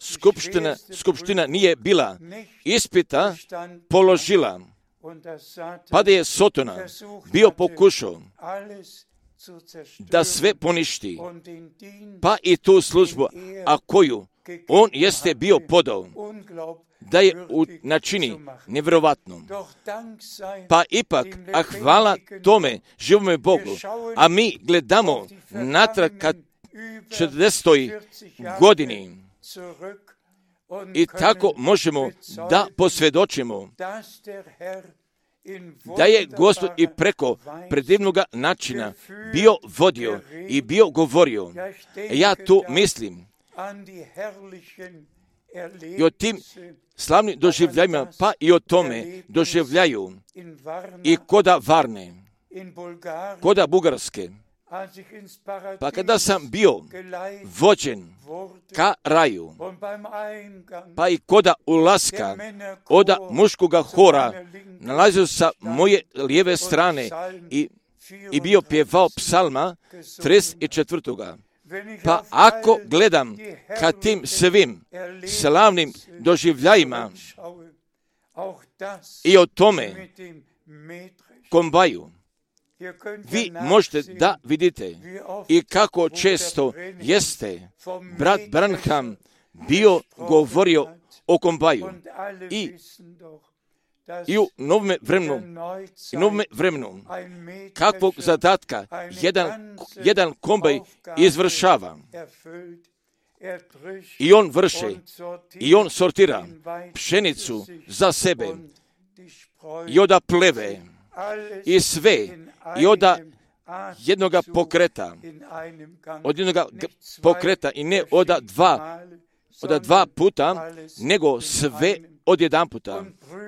skupština nije bila ispita položila, pa da je Sotona bio pokušao da sve poništi, pa i tu službu, a koju on jeste bio podao, da je načini nevjerovatnom. Pa ipak, a hvala tome živome Bogu, a mi gledamo natrag ka 40. godini i tako možemo da posvjedočimo da je Gospod i preko predivnoga načina bio vodio i bio govorio. Ja tu mislim i o tim slavnim doživljajima, pa i o tome doživljaju i koda Varne, koda Bugarske. Pa kada sam bio vođen ka raju, pa i koda ulaska od muškoga hora, nalazio sa moje lijeve strane i bio pjevao psalma 34. Pa ako gledam ka tim svim slavnim doživljajima i o tome kombaju, Vi možete da vidite i kako često jeste brat Branham bio govorio o kombaju i u novome vremenu kakvog zadatka jedan kombaj izvršava. I on vrše, i on sortira pšenicu za sebe i oda pleve i sve i oda jednoga pokreta i ne oda dva puta, nego sve od jedan puta.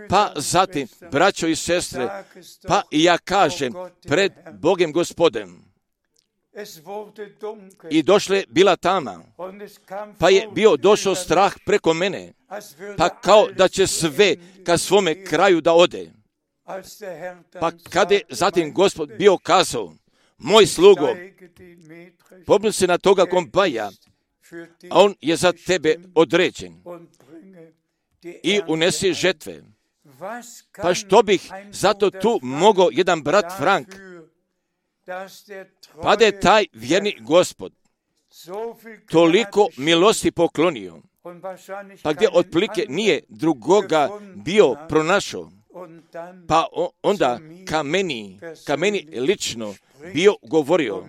Pa zatim, braćo i sestre, pa i ja kažem pred Bogem Gospodem. I došle bila tama, pa je bio došao strah preko mene, pa kao da će sve ka svome kraju da ode. Pa kada je zatim Gospod bio kazao, moj slugo, popni se na toga kombaja, a on je za tebe određen i unesi žetve. Pa što bih zato tu mogao jedan brat Frank, pa da je taj vjerni Gospod toliko milosti poklonio, pa gdje otprilike nije drugoga bio pronašao, pa onda ka meni lično bio govorio,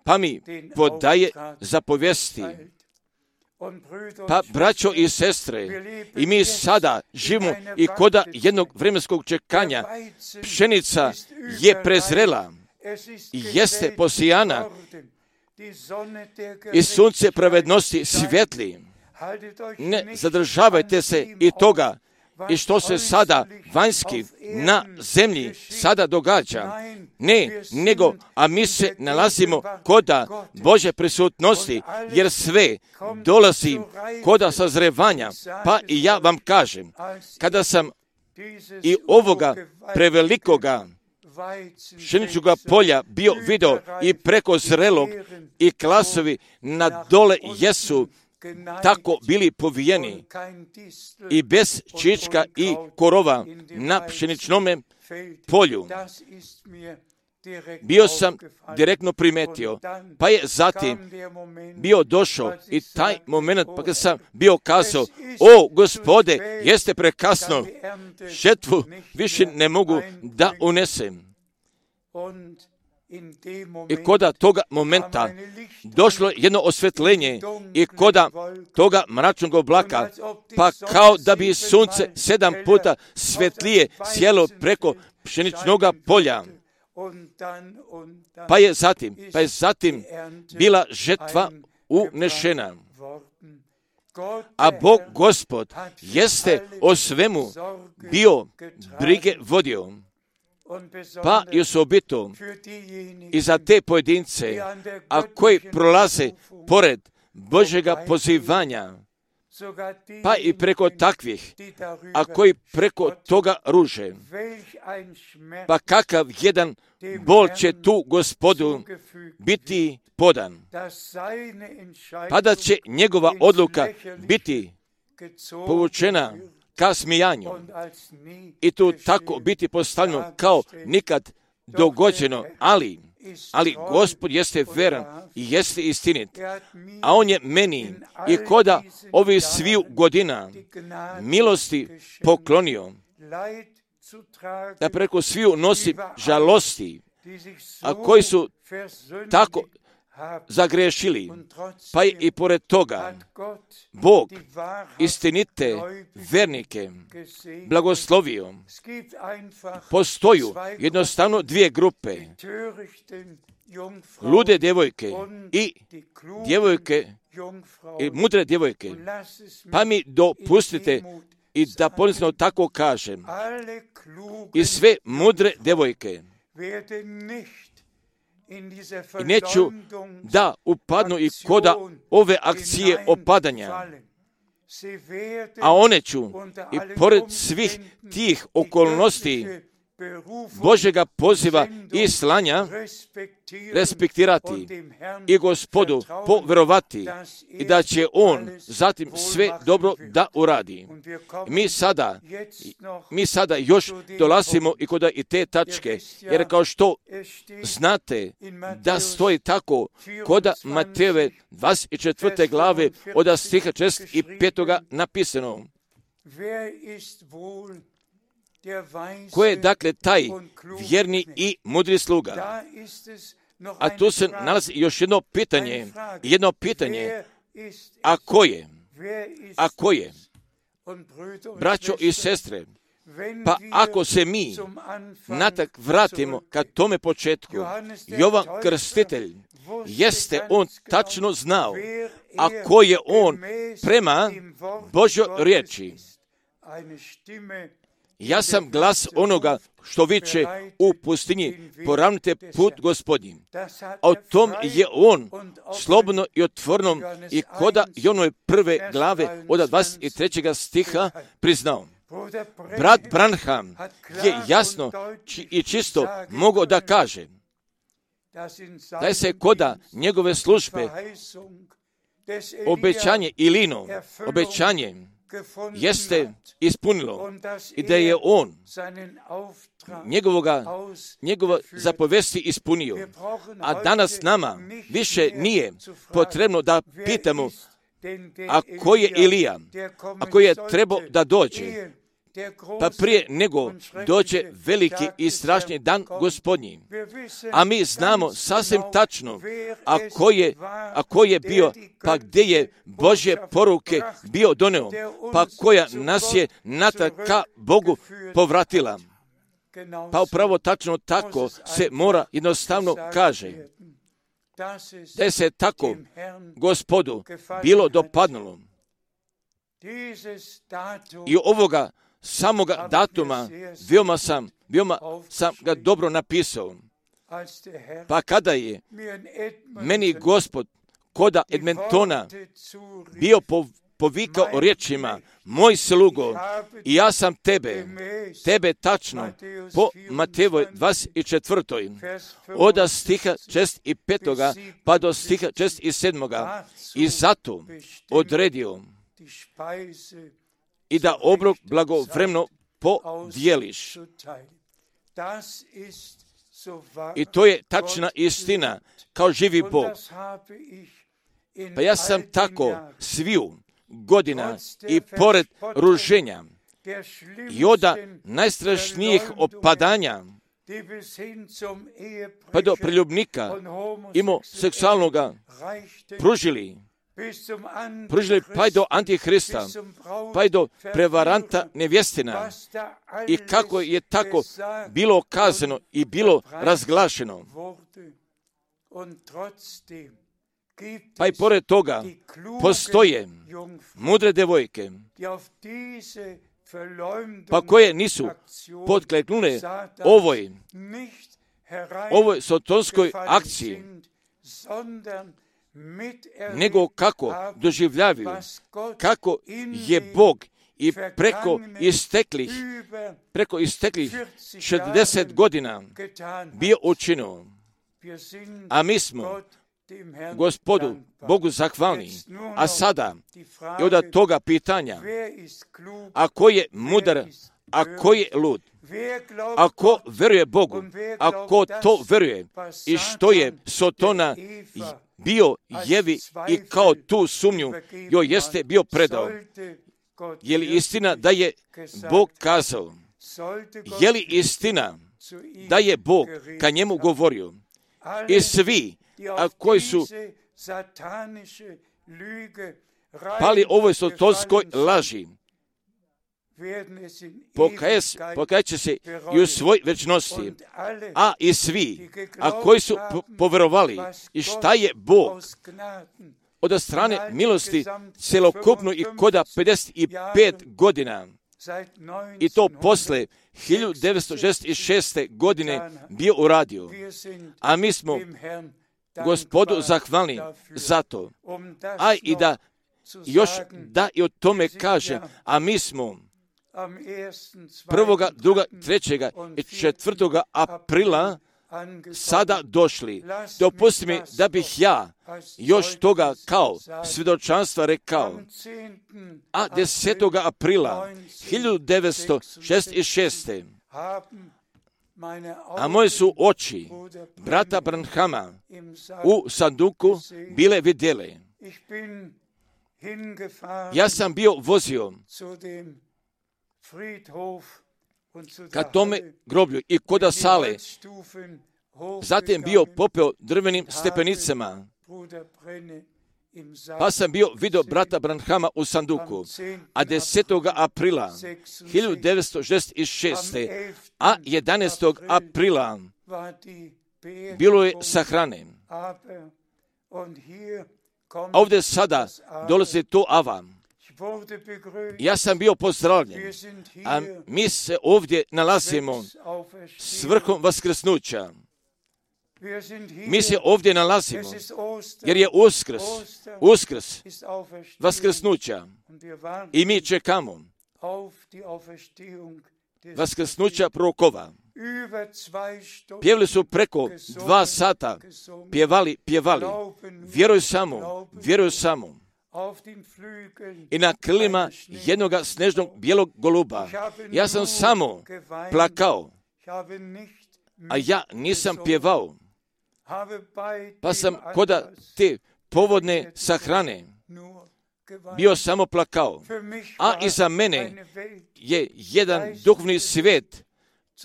pa mi podaje zapovesti. Pa, braćo i sestre, i mi sada živimo i koda jednog vremenskog čekanja. Pšenica je prezrela, jeste posijana i sunce pravednosti svijetli. Ne zadržavajte se i toga i što se sada vanjski na zemlji sada događa. Ne, nego, a mi se nalazimo koda Božje prisutnosti, jer sve dolazi koda sazrevanja. Pa i ja vam kažem, kada sam i ovoga prevelikoga pšeničnoga polja bio video i preko zrelog i klasovi na dole jesu tako bili povijeni i bez čička i korova na pšeničnome polju. Bio sam direktno primetio, pa je zatim bio došao i taj moment, pa kad sam bio kazao, o Gospode, jeste prekasno, žetvu više ne mogu da unesem. I koda toga momenta došlo jedno osvetljenje i koda toga mračnog oblaka, pa kao da bi sunce 7 puta svetlije sjelo preko pšeničnog polja. Pa je zatim bila žetva unešena. A Bog Gospod jeste o svemu bio brige vodio. Pa i osobito i za te pojedince, a koji prolaze pored Božjega pozivanja, pa i preko takvih, a koji preko toga ruže, pa kakav jedan bol će tu Gospodu biti podan, pa da će njegova odluka biti povučena ka smijanju i tu tako biti postavljeno kao nikad dogođeno, ali Gospod jeste veran i jeste istinit, a On je meni i koda ovih sviju godina milosti poklonio, da preko sviju nosi žalosti, a koji su tako zagrešili, pa i pored toga Bog istinite vernike blagoslovio. Postoju jednostavno dvije grupe, lude djevojke i djevojke i mudre djevojke. Pa mi dopustite i da ponizno tako kažem, i sve mudre djevojke i neću da upadnu i koda ove akcije opadanja, a one ću i pored svih tih okolnosti Božjega poziva i slanja respektirati i Gospodu poverovati i da će On zatim sve dobro da uradi. Mi sada još dolazimo i kod i te tačke, jer kao što znate da stoji tako kod Matejeve 24. glave od stiha 65. napisano. Ko je dakle taj vjerni i mudri sluga? A tu se nalazi još jedno pitanje, a ko je? Braćo i sestre, pa ako se mi natrag vratimo ka tome početku, Jovan Krstitelj, jeste on tačno znao, a ko je on prema Božjoj riječi. Ja sam glas onoga što viče u pustinji, poravnite put Gospodnji. A o tom je on slobodno i otvoreno i koda Jonove prve glave od 23. stiha priznao. Brat Branham je jasno i čisto mogao da kaže da se koda njegove službe obećanje Ilino, obećanje jeste ispunilo i da je on njegova zapovesti ispunio. A danas nama više nije potrebno da pitamo a ko je Ilija, a ko je trebao da dođe, pa prije nego dođe veliki i strašni dan Gospodnji. A mi znamo sasvim tačno, a ko je bio, pa gdje je Božje poruke bio doneo, pa koja nas je natrag ka Bogu povratila. Pa upravo tačno tako se mora jednostavno kaže, da se tako Gospodu bilo dopadnulo. I ovoga samoga datuma veoma sam ga dobro napisao. Pa kada je meni Gospod koda Edmontona bio povikao riječima, moj slugo, i ja sam tebe tačno po Matejevoj 24. od stiha 65. pa do stiha 67. i zato odredio i da obrok blagovremeno podijeliš. I to je tačna istina, kao živi Bog. Pa ja sam tako sviju godina i pored ruženja i od najstrašnijih opadanja pa do preljubnika imao seksualnoga pružili pa i do Antihrista, pa i do prevaranta nevjestina i kako je tako bilo kazano i bilo razglašeno. Pa i pored toga postoje mudre devojke, pa koje nisu potkleknule ovoj sotonskoj akciji, nego kako doživljavaju, kako je Bog i preko isteklih 60 godina bio učinio. A mi smo Gospodu Bogu zahvalni. A sada i od toga pitanja, a ko je mudar, a ko je lud, a ko veruje Bogu, a ko to veruje i što je Sotona bio Jevi i kao tu sumnju joj jeste bio predao. Je li istina da je Bog kazao? Je li istina da je Bog ka njemu govorio? I svi, a koji su pali ovoj sotonskoj laži, pokajat će se i u svoj večnosti, a i svi, a koji su poverovali i šta je Bog od strane milosti celokupno i koda 55 godina, i to posle 1966. godine bio uradio. A mi smo Gospodu zahvalni za to. A i da još da i o tome kažem, a mi smo 1., 2., 3. i 4. aprila sada došli. Dopusti mi da bih ja još toga kao svjedočanstva rekao. A 10. aprila 1966. a moje su oči brata Branhama u sanduku bile vidjele. Ja sam bio vozio ka tome groblju i koda sale, zatim bio popeo drvenim stepenicama, pa sam bio vidio brata Branhama u sanduku, a 10. aprila 1966. a 11. aprila bilo je sahrane. Ovdje sada dolazi to ava. Ja sam bio pozdravljen, a mi se ovdje nalazimo s vrhom vaskrsnuća. Mi se ovdje nalazimo, jer je uskrs vaskrsnuća i mi čekamo vaskrsnuća prorokova. Pjevali su preko 2 sata, pjevali, vjeruj samo. I na krilima jednoga snežnog bijelog goluba. Ja sam samo plakao, a ja nisam pjevao. Pa sam koda te povodne sahrane bio samo plakao. A iza mene je jedan duhovni svijet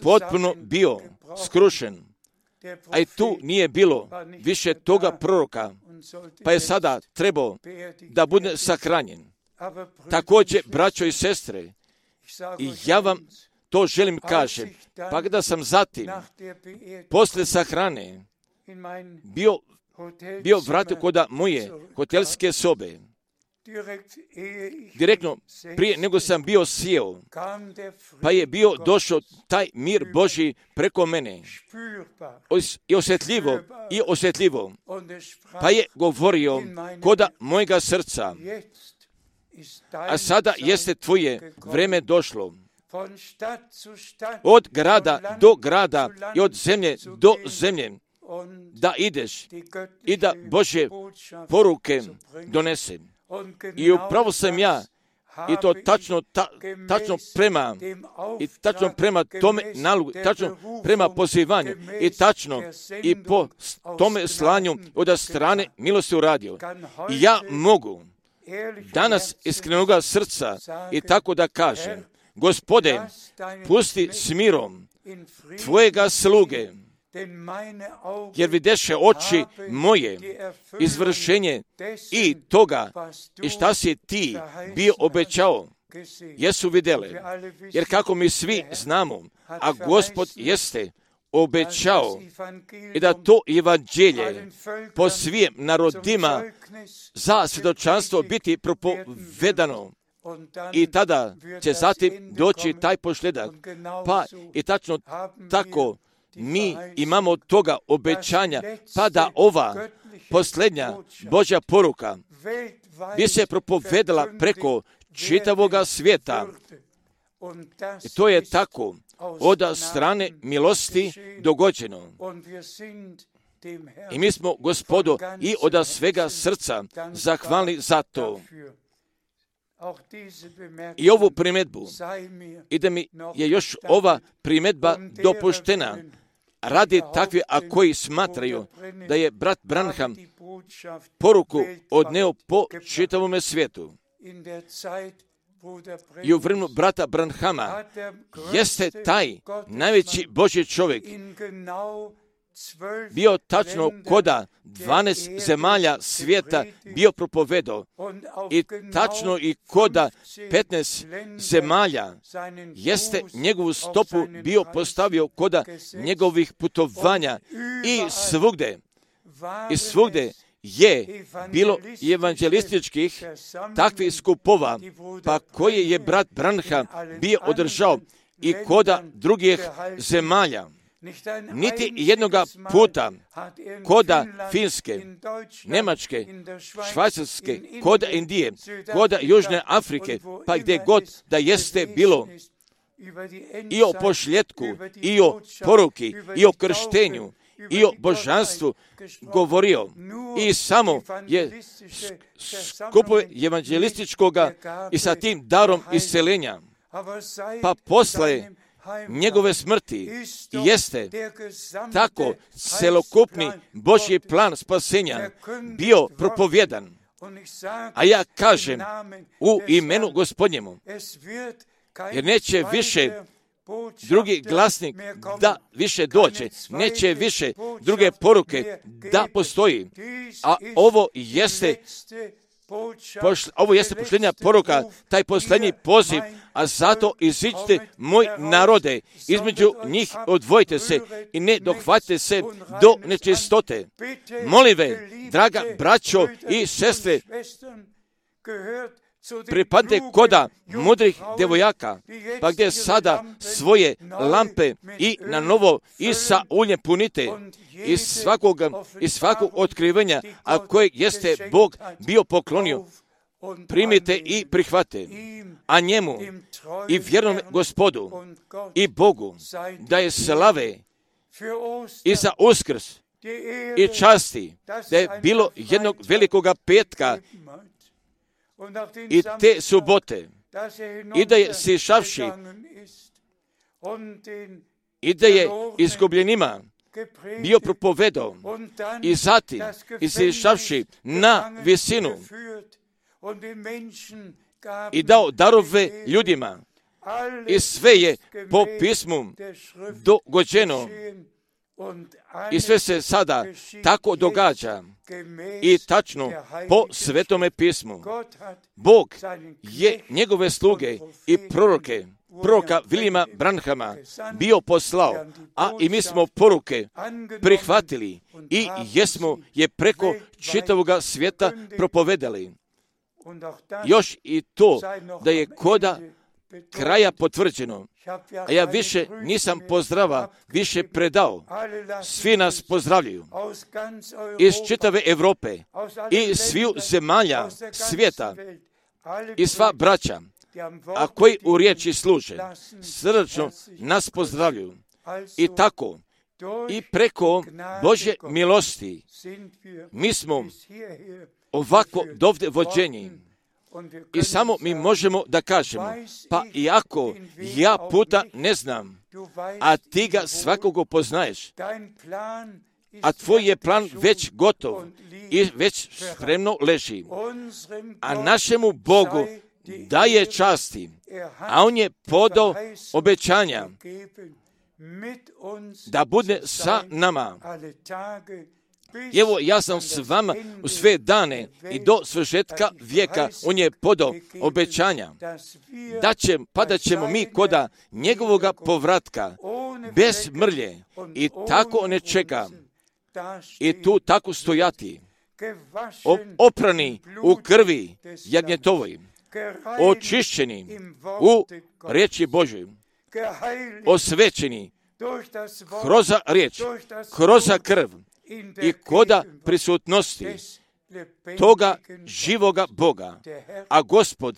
potpuno bio skrušen. A i tu nije bilo više toga proroka, pa je sada trebao da bude sahranjen. Također, braćo i sestre, i ja vam to želim kažem, pa kada sam zatim, posle sahrane, bio vratio koda moje hotelske sobe, direktno prije nego sam bio sjeo, pa je bio došao taj mir Božji preko mene i osjetljivo, pa je govorio koda mojega srca, a sada jeste tvoje vreme došlo. Od grada do grada i od zemlje do zemlje da ideš i da Božje poruke donesem. I upravo sam ja, i to tačno prema tome nalogu, tačno prema pozivanju, i tačno i po tome slanju od strane milosti uradio. I ja mogu danas iskrenoga srca i tako da kažem, Gospode, pusti s mirom tvojega sluge, jer videše oči moje izvršenje i toga i šta si ti bio obećao, jesu vidjele. Jer kako mi svi znamo, a Gospod jeste obećao i da to evanđelje po svim narodima za svjedočanstvo biti propovedano. I tada će zatim doći taj posljedak. Pa i tačno tako mi imamo toga obećanja, pa da ova posljednja Božja poruka bi se propovedala preko čitavoga svijeta. I to je tako od strane milosti dogođeno. I mi smo, Gospodu, i od svega srca zahvalni za to. I ovu primjedbu, i da mi je još ova primjedba dopuštena, radi takvi, a koji smatraju da je brat Branham poruku odneo po čitavome svijetu. I u vremenu brata Branhama jeste taj najveći Božji čovjek bio tačno koda 12 zemalja svijeta bio propovedao i tačno i koda 15 zemalja jeste njegovu stopu bio postavio koda njegovih putovanja i svugde je bilo evanđelističkih takvih skupova, pa koje je brat Branham bio održao i koda drugih zemalja. niti jednoga puta koda Finske, Njemačke, Švajcarske, koda Indije, koda Južne Afrike, pa gdje god da jeste bilo, i o pošljetku, i o poruki, i o krštenju, i o božanstvu govorio. I samo je skupove evanđelističkoga i sa tim darom isceljenja. Pa posle njegove smrti jeste tako celokupni Božji plan spasenja bio propovjedan. A ja kažem u imenu Gospodnjemu, jer neće više drugi glasnik da više dođe, neće više druge poruke da postoji. A ovo jeste posljednja poruka, taj posljednji poziv, a zato iziđite moj narode, između njih odvojite se i ne dohvatite se do nečistote. Molim ve, draga braćo i sestre, pripadne koda mudrih devojaka, pa gdje sada svoje lampe i na novo i sa uljem punite iz svakog otkrivenja, a koje jeste Bog bio poklonio, primite i prihvate, a njemu i vjernom Gospodu i Bogu da je slave i za Uskrs i časti, da je bilo jednog velikoga petka i te subote, i da je sišavši i da je izgubljenima bio propovedao, i zatim sišavši na visinu i dao darove ljudima, i sve je po pismu dogođeno, i sve se sada tako događa i tačno po Svetome pismu. Bog je njegove sluge i proroka Viljama Branhama bio poslao, a i mi smo poruke prihvatili i jesmo je preko čitavoga svijeta propovedali. Još i to da je koda kraja potvrđeno, a ja više nisam pozdrava više predao. Svi nas pozdravljaju iz čitave Europe i sviju zemalja svijeta i sva braća, a koji u riječi služe, srdačno nas pozdravljaju. I tako, i preko Božje milosti, mi smo ovako dovde vođeni. I samo mi možemo da kažemo, pa iako ja puta ne znam, a ti ga svakoga poznaješ, a tvoj je plan već gotov i već spremno leži, a našemu Bogu daje časti, a on je podao obećanja da bude sa nama. Evo, ja sam s vama u sve dane i do svršetka vijeka. On je podao obećanja da ćemo mi koda njegovoga povratka bez mrlje i tako ne čeka i tu tako stojati, oprani u krvi jagnjetovoj, očišćeni u riječi Božoj, osvećeni kroz riječ, kroz krv i koda prisutnosti toga živoga Boga. A Gospod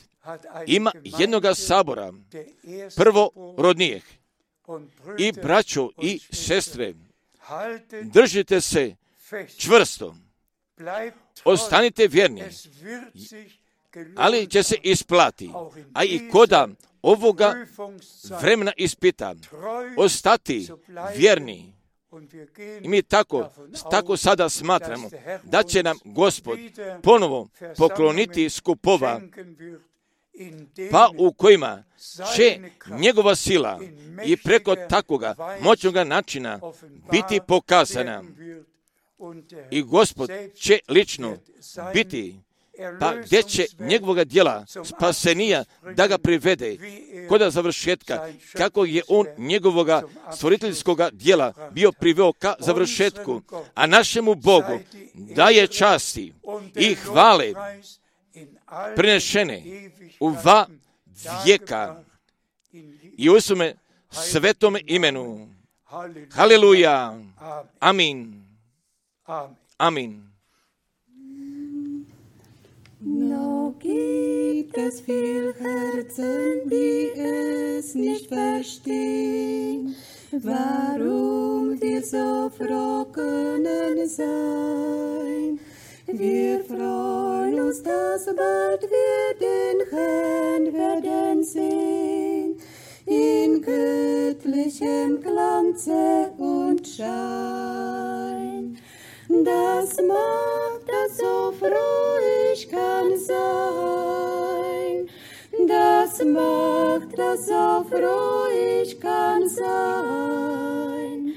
ima jednoga sabora, prvorodnijeg. I braćo i sestre, držite se čvrsto, ostanite vjerni, ali će se isplati, a i koda ovoga vremena ispita, ostati vjerni. I mi tako sada smatramo da će nam Gospod ponovo pokloniti skupova, pa u kojima će njegova sila i preko takoga moćnoga načina biti pokazana. I Gospod će lično biti, pa gdje će njegovoga djela spasenija da ga privede koda završetka, kako je on njegovoga stvoriteljskoga djela bio priveo ka završetku, a našemu Bogu daje časti i hvale prinešene u va vijeka i u svome svetome imenu. Halleluja. Amen. Amen. Noch gibt es viel Herzen, die es nicht verstehen, warum wir so froh können sein. Wir freuen uns, dass bald wir den Herrn werden sehen, in göttlichem Glanze und Schein. Das macht, dass so froh ich kann sein. Das macht, dass so froh ich kann sein.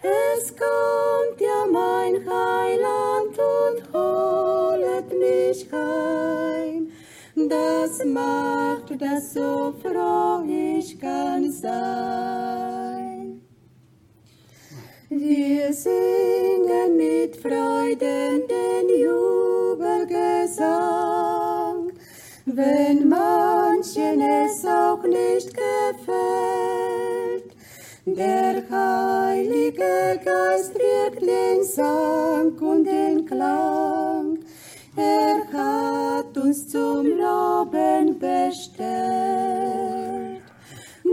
Es kommt ja mein Heiland und holet mich heim. Das macht, dass so froh ich kann sein. Wir singen mit Freuden den Jubelgesang, wenn manchen es auch nicht gefällt. Der Heilige Geist wirkt den Sang und den Klang, er hat uns zum Loben bestellt.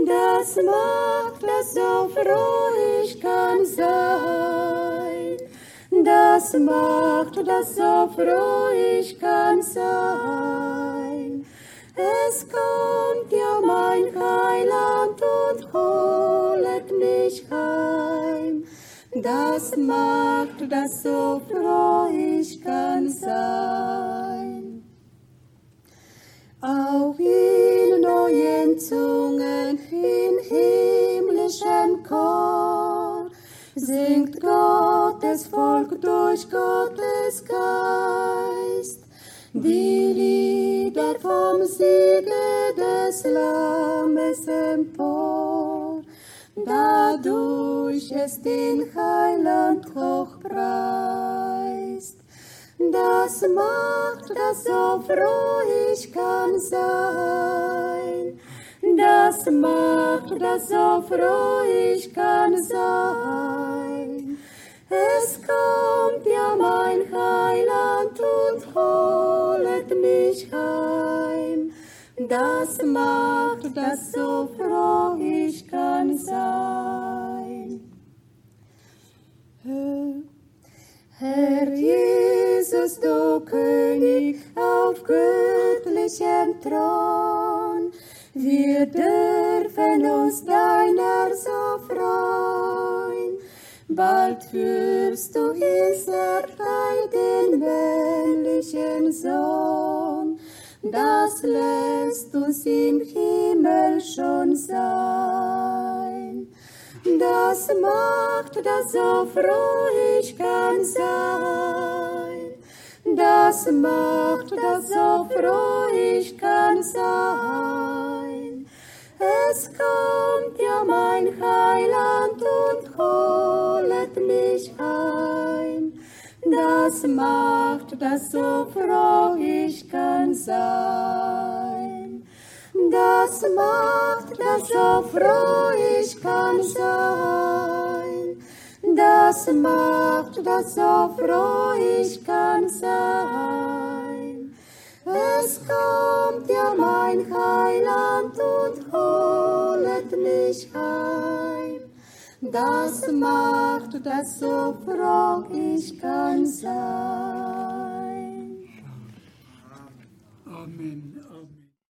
Das macht, dass so froh ich kann sein. Das macht, dass so froh ich kann sein. Es kommt ja mein Heiland und holet mich heim. Das macht, dass so froh ich kann sein. Auch in neuen Zungen, in himmlischem Chor, singt Gottes Volk durch Gottes Geist die Lieder vom Siege des Lammes empor, dadurch es den Heiland hochpreist. Das macht, dass so froh ich kann sein. Das macht, dass so froh ich kann sein. Es kommt ja mein Heiland und holet mich heim. Das macht, dass so froh ich kann sein. Herr Jesus, du König auf göttlichem Thron, wir dürfen uns deiner so freuen. Bald führst du Israel den männlichen Sohn, das lässt uns im Himmel schon sein. Das macht, dass so froh ich kann sein. Das macht, dass so froh ich kann sein. Es kommt ja mein Heiland und holet mich heim. Das macht, dass so froh ich kann sein. Das macht, dass so froh ich kann sein. Das macht, dass so froh ich kann sein. Es kommt ja mein Heiland und holet mich heim. Das macht, dass so froh ich kann sein. Amen.